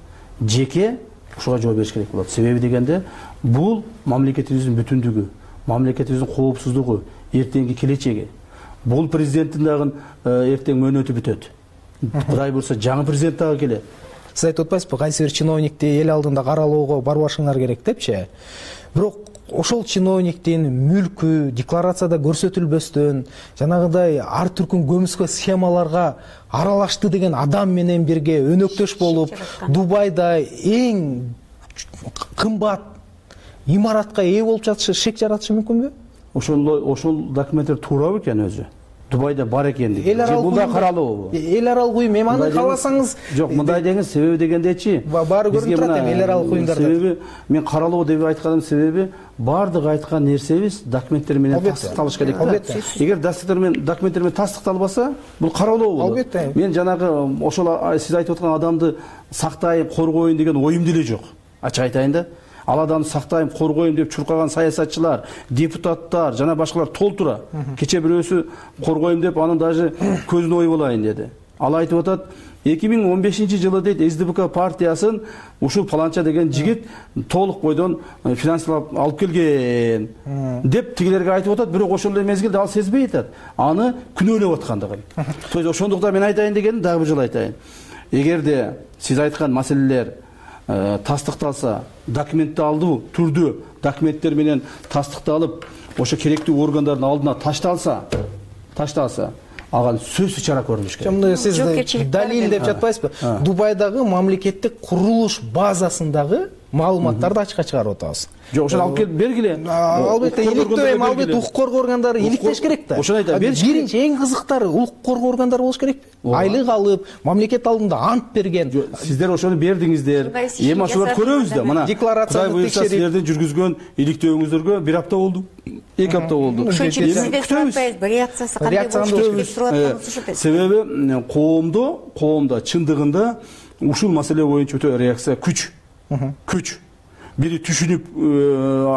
Жеке ушуга жоо бериш керек болот. Себеби дегенде бул мамлекетибиздин бүтүндүгү, мамлекетибиздин коопсуздугу, эртеңки келечеги. Бул президенттин дагы эртең мөөнөтү бүтөт. Кудай буйрса жаңы президент дагы келет. Сиз айтып атпайсызбы, кайсы бир чиновникти эл алдында каралоого барбашыңар керек депчи. Бирок ошол чиновниктин мүлкү декларацияда көрсөтүлбөстөн, жанагыдай ар түркүн көмүскө схемаларга аралашты деген адам менен бирге өнөктөш болуп, Дубайда эң кымбат имаратка ээ болуп жатышы шек жаратышы мүмкүнбү? Ошол ошол документтер туурабы экен өзү? Дубайда бар экендиги. Бул да каралуу. Эл аралык уюм, эми аны кааласаңыз жок, мындай деген себеби дегендечи. Баары көрүнүп турат эми эл аралык уюмдарда. Себеби мен каралуу деп айтканым себеби бардык айткан нерсебиз документтер менен тастыкталыш керек да. Эгер документтер менен документтер менен тастыкталбаса, бул каралуу болот. Албетте. Мен жанагы ошол сиз айтып аткан адамды сактайын, коргоюн деген оюм деле жок. Ачык айтайын да. ал адамды сактайм, коргойм деп чуркаган саясатчылар, депутаттар жана башкалар толтура. Кече бирөөсү коргойм деп анын даже көзүнө ой болайын деди. Ал айтып атат, эки миң он бешинчи жылы дейт эс ди пи ка партиясын ушул паланча деген жигит толук бойдон финансылап алып келген деп тигилерге айтып атат, бирок ошол эле мезгилде ал сезбей атат аны күнөөлөп аткандыгын. То есть ошондуктан мен айтайын дегеним дагы бир жолу айтайын. Эгерде сиз айткан маселелер тастыкталса, документалдуу түрдө документтер менен тастыкталып, ошо керектүү органдардын алдына ташталса, ташталса, ага сөзсүз чара көрүлүш керек. Мындай сиз далил деп жатпайсызбы? Дубайдагы мамлекеттик курулуш базасындагы маалыматтарды ачыкка чыгарып атабыз. Жок, ошону алып келип бергиле. Албетте, иликтөө эми албетте укук коргоо органдары иликтеш керек да. Ошону айтам. Биринчи эң кызыктары укук коргоо органдары болуш керек. Айлык алып, мамлекет алдында ант берген. Сиздер ошону бердиңиздер. Эми ошолорду көрөбүз да. Мына декларацияны текшерип, сиздердин жүргүзгөн иликтөөңүздөргө бир апта болду. эки апта болду. Ошон үчүн сизден сураппайбызбы, реакциясы кандай болуш керек сурап атабыз ошо. Себеби коомдо, коомдо чындыгында ушул маселе боюнча өтө реакция күч. Күч. Бири түшүнүп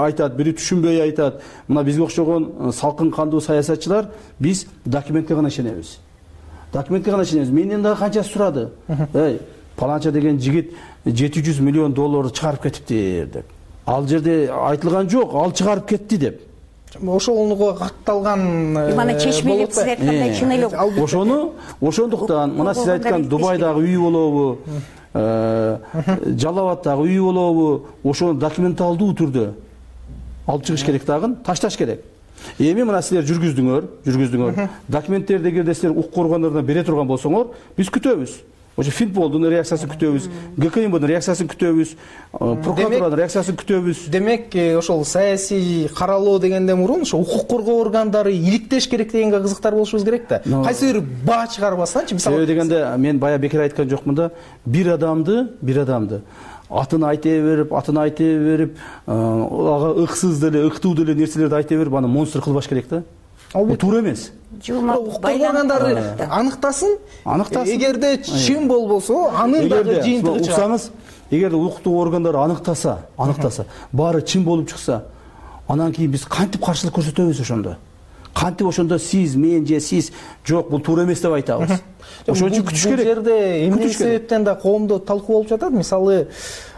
айтат, бири түшүнбөй айтат. Мына бизге окшогон салкын кандуу саясатчылар биз документке гана ишенебиз. Документке гана ишенебиз. Менден дагы канча сурады. Эй, паланча деген жигит жети жүз миллион долларды чыгарып кетиптир деп. Ал жерде айтылган жок, ал чыгарып кетти деп. Ошого катталган мана чечмелеп сиз айткандай чын эле ошону ошондуктан мына сиз айткан Дубайдагы үй болобу, Жалал Абадтагы үй болобу, ошону документалдуу түрдө алып чыгыш керек дагы, ташташ керек. Эми мына силер жүргүздүңөр, жүргүздүңөр. Документтерди эгерде силер укук коргондоруна бере турган болсоңор, биз күтөбүз. Ошо Финполдун реакциясын күтөбүз, гэ ка эмдин реакциясын күтөбүз, прокуратуранын реакциясын күтөбүз. Демек, ошол саясий каралоо дегенден мурун ошо укук коргоо органдары иликтеш керек дегенге кызыктар болушубуз керек да. Кайсы бир баа чыгарбастанчы, мисалы. Себеби дегенде мен бая бекер айткан жокмун да, бир адамды, бир адамды атын айта берип, атын айта берип, ага ыксыз деле, ыктуу деле нерселерди айта берип, аны монстр кылбаш керек да. Ал туура эмес. Укук органдары аныктасын. Аныктасын. Эгерде чын болбосо, анын дагы жыйынтыгы чыгат. Уксаңыз, эгерде укуктуу органдар аныктаса, аныктаса, баары чын болуп чыкса, анан кийин биз кантип каршылык көрсөтөбүз ошондо? Кантип ошондо сиз, мен же сиз жок, бул туура эмес деп айтабыз? Ошон үчүн күтүш керек. Бул жерде эмне себептен да коомдо талкуу болуп жатат? Мисалы,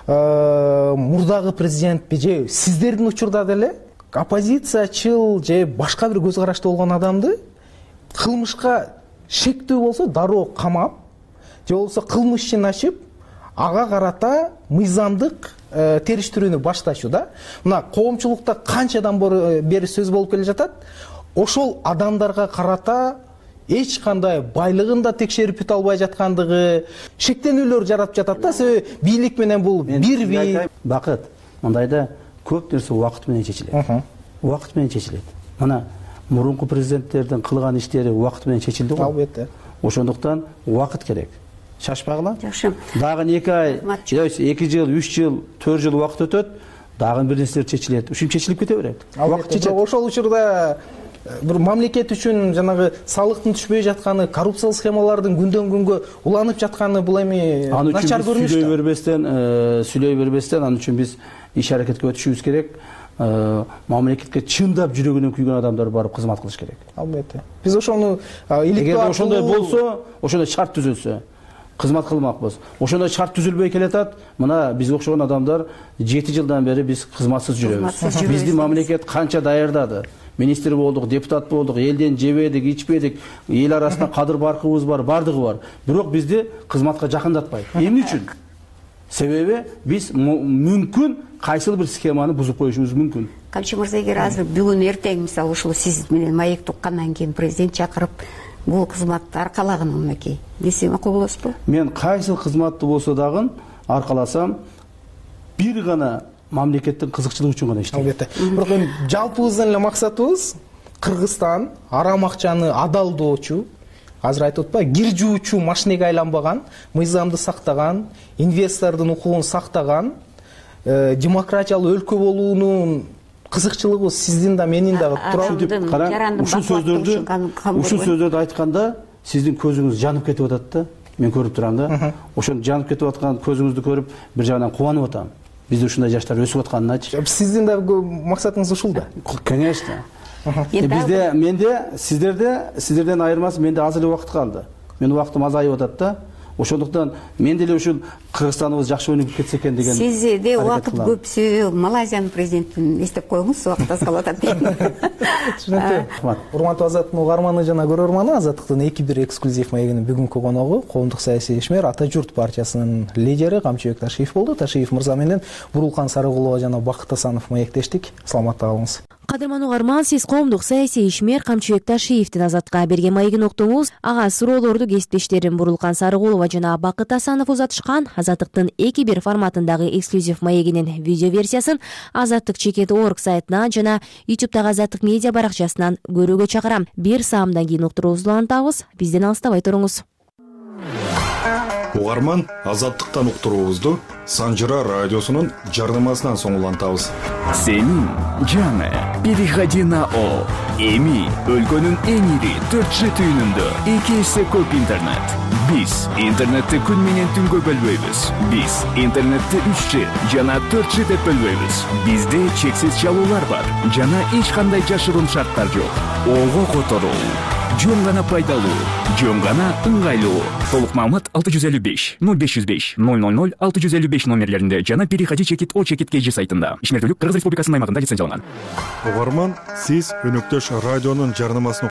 мурдагы президентпи же сиздердин учурда деле оппозициячыл же башка бир көз карашта болгон адамды кылмышка шектүү болсо дароо камап, же болбосо кылмыш ишин ачып, ага карата мыйзамдык териштирүүнү башташуу да. Мына коомчулукта канчадан бери сөз болуп келе жатат? Ошол адамдарга карата эч кандай байлыгын да текшерип бүтө албай жаткандыгы, шектенүүлөр жаратып жатат да. Себеби бийлик менен бул бир бий. Бакыт, мындайда көп нерсе убакыт менен чечилет. Убакыт менен чечилет. Мына мурунку президенттердин кылган иштери убакыт менен чечилди го. Албетте. Ошондуктан убакыт керек. Шашпагыла. Жакшы. Дагы эки ай, эки жыл, үч жыл, төрт жыл убакыт өтөт, дагы бир нерселер чечилет. Ушинтип чечилип кете берет. Убакыт чечет. Ошол учурда бир мамлекет үчүн жанагы салыктын түшпөй жатканы, коррупциялык схемалардын күндөн күнгө уланып жатканы бул эми начар көрүнүш. Сүйлөй бербестен, сүйлөй бербестен, анын үчүн биз иш аракетке өтүшүбүз керек. Мамлекетке чындап жүрөгүнөн күйгөн адамдар барып кызмат кылыш керек. Албетте. Биз ошону иликтөө эгерде ошондой болсо, ошондой шарт түзүлсө, кызмат кылмакпыз. Ошондой шарт түзүлбөй келатат. Мына бизге окшогон адамдар жети жылдан бери биз кызматсыз жүрөбүз. Биздин мамлекет канча даярдады. Министр болдук, депутат болдук, элден жебедик, ичпедик, эл арасында кадыр баркыбыз бар, бардыгы бар. Бирок бизди кызматка жакындатпайт. Эмне үчүн? Себеби биз мүмкүн кайсыл бир схеманы бузуп коюшубуз мүмкүн. Камчы мырза, эгер азыр бүгүн эртең мисалы ушул сиз менен маек уккандан кийин президент чакырып бул кызматты аркалагын умеки десе макул болосузбу? Мен кайсыл кызматты болсо дагы аркаласам, бир гана мамлекеттин кызыкчылыгы үчүн гана иштейм. Албетте. Бирок эми жалпыбыздын эле максатыбыз Кыргызстан арам акчаны адалдоочу, азыр айтып атпайбы, кир жуучу машинеге айланбаган, мыйзамды сактаган, инвестордун укугун сактаган, демократиялуу өлкө болуунун кызыкчылыгы сиздин да менин дагы турат. Ушул сөздөрдү, ушул сөздөрдү айтканда сиздин көзүңүз жанып кетип атат да. Мен көрүп турам да. Ошону жанып кетип аткан көзүңүздү көрүп бир жагынан кубанып атам. бизде ушундай жаштар өсүп атканыначы. Сиздин да максатыңыз ушул да? Конечно. Бизде, менде, сиздерде, сиздерден айырмасы менде аз эле убакыт калды. Менин убактым азайып атат да. Ошондуктан мен деле ушул Кыргызстаныбыз жакшы өнүгүп кетсе экен деген. Сизде убакыт көп, себеби Малайзиянын президентин эстеп коюңуз, убакыт аз калып атат дейм. Түшүнүктүү. Урматтуу Азаттыктын угарманы жана көрөрманы, Азаттыктын эки бир эксклюзив маегинин бүгүнкү коногу коомдук саясий ишмер Ата журт партиясынын лидери Камчыбек Ташиев болду. Ташиев мырза менен Бурулкан Сарыгулова жана Бакыт Асанов маектештик. Саламатта калыңыз. Кадырман угарман, сиз коомдук саясий ишмер Камчыбек Ташиевдин Азатка берген маегин уктуңуз. Ага суроолорду кесиптештерим Бурулкан Сарыгулова жана Бакыт Асанов узатышкан. Азаттыктын эки бир форматындагы эксклюзив маегинин видео версиясын Азаттык чекит точка орг сайтынан жана ютубтагы Азаттык медиа баракчасынан көрүүгө чакырам. Бир саамдан кийин уктуруубузду улантабыз. Бизден алыстабай туруңуз. Угарман, Азаттыктан уктуруубузду Санжыра радиосунун жарнамасынан соң улантабыз. Сенин жаңы переходи на О. Эми өлкөнүн эң ири төрт жи түйүнүндө эки эсе көп интернет. Биз интернетти күн менен түнгө бөлбөйбүз. Биз интернетти үч жи жана төрт жи деп бөлбөйбүз. Бизде чексиз чалуулар бар жана эч кандай жашыруун шарттар жок. Ого которуу жөн гана пайдалуу, жөн гана ыңгайлуу. Толук маалымат алты жүз элүү беш ноль беш жүз беш ноль ноль ноль алты жүз элүү беш номерлеринде жана переходи чекит о чекит kg сайтында. Ишмердүүлүк Кыргыз Республикасынын аймагында лицензияланган. Угарман, сиз өнөктөш радионун жарнамасын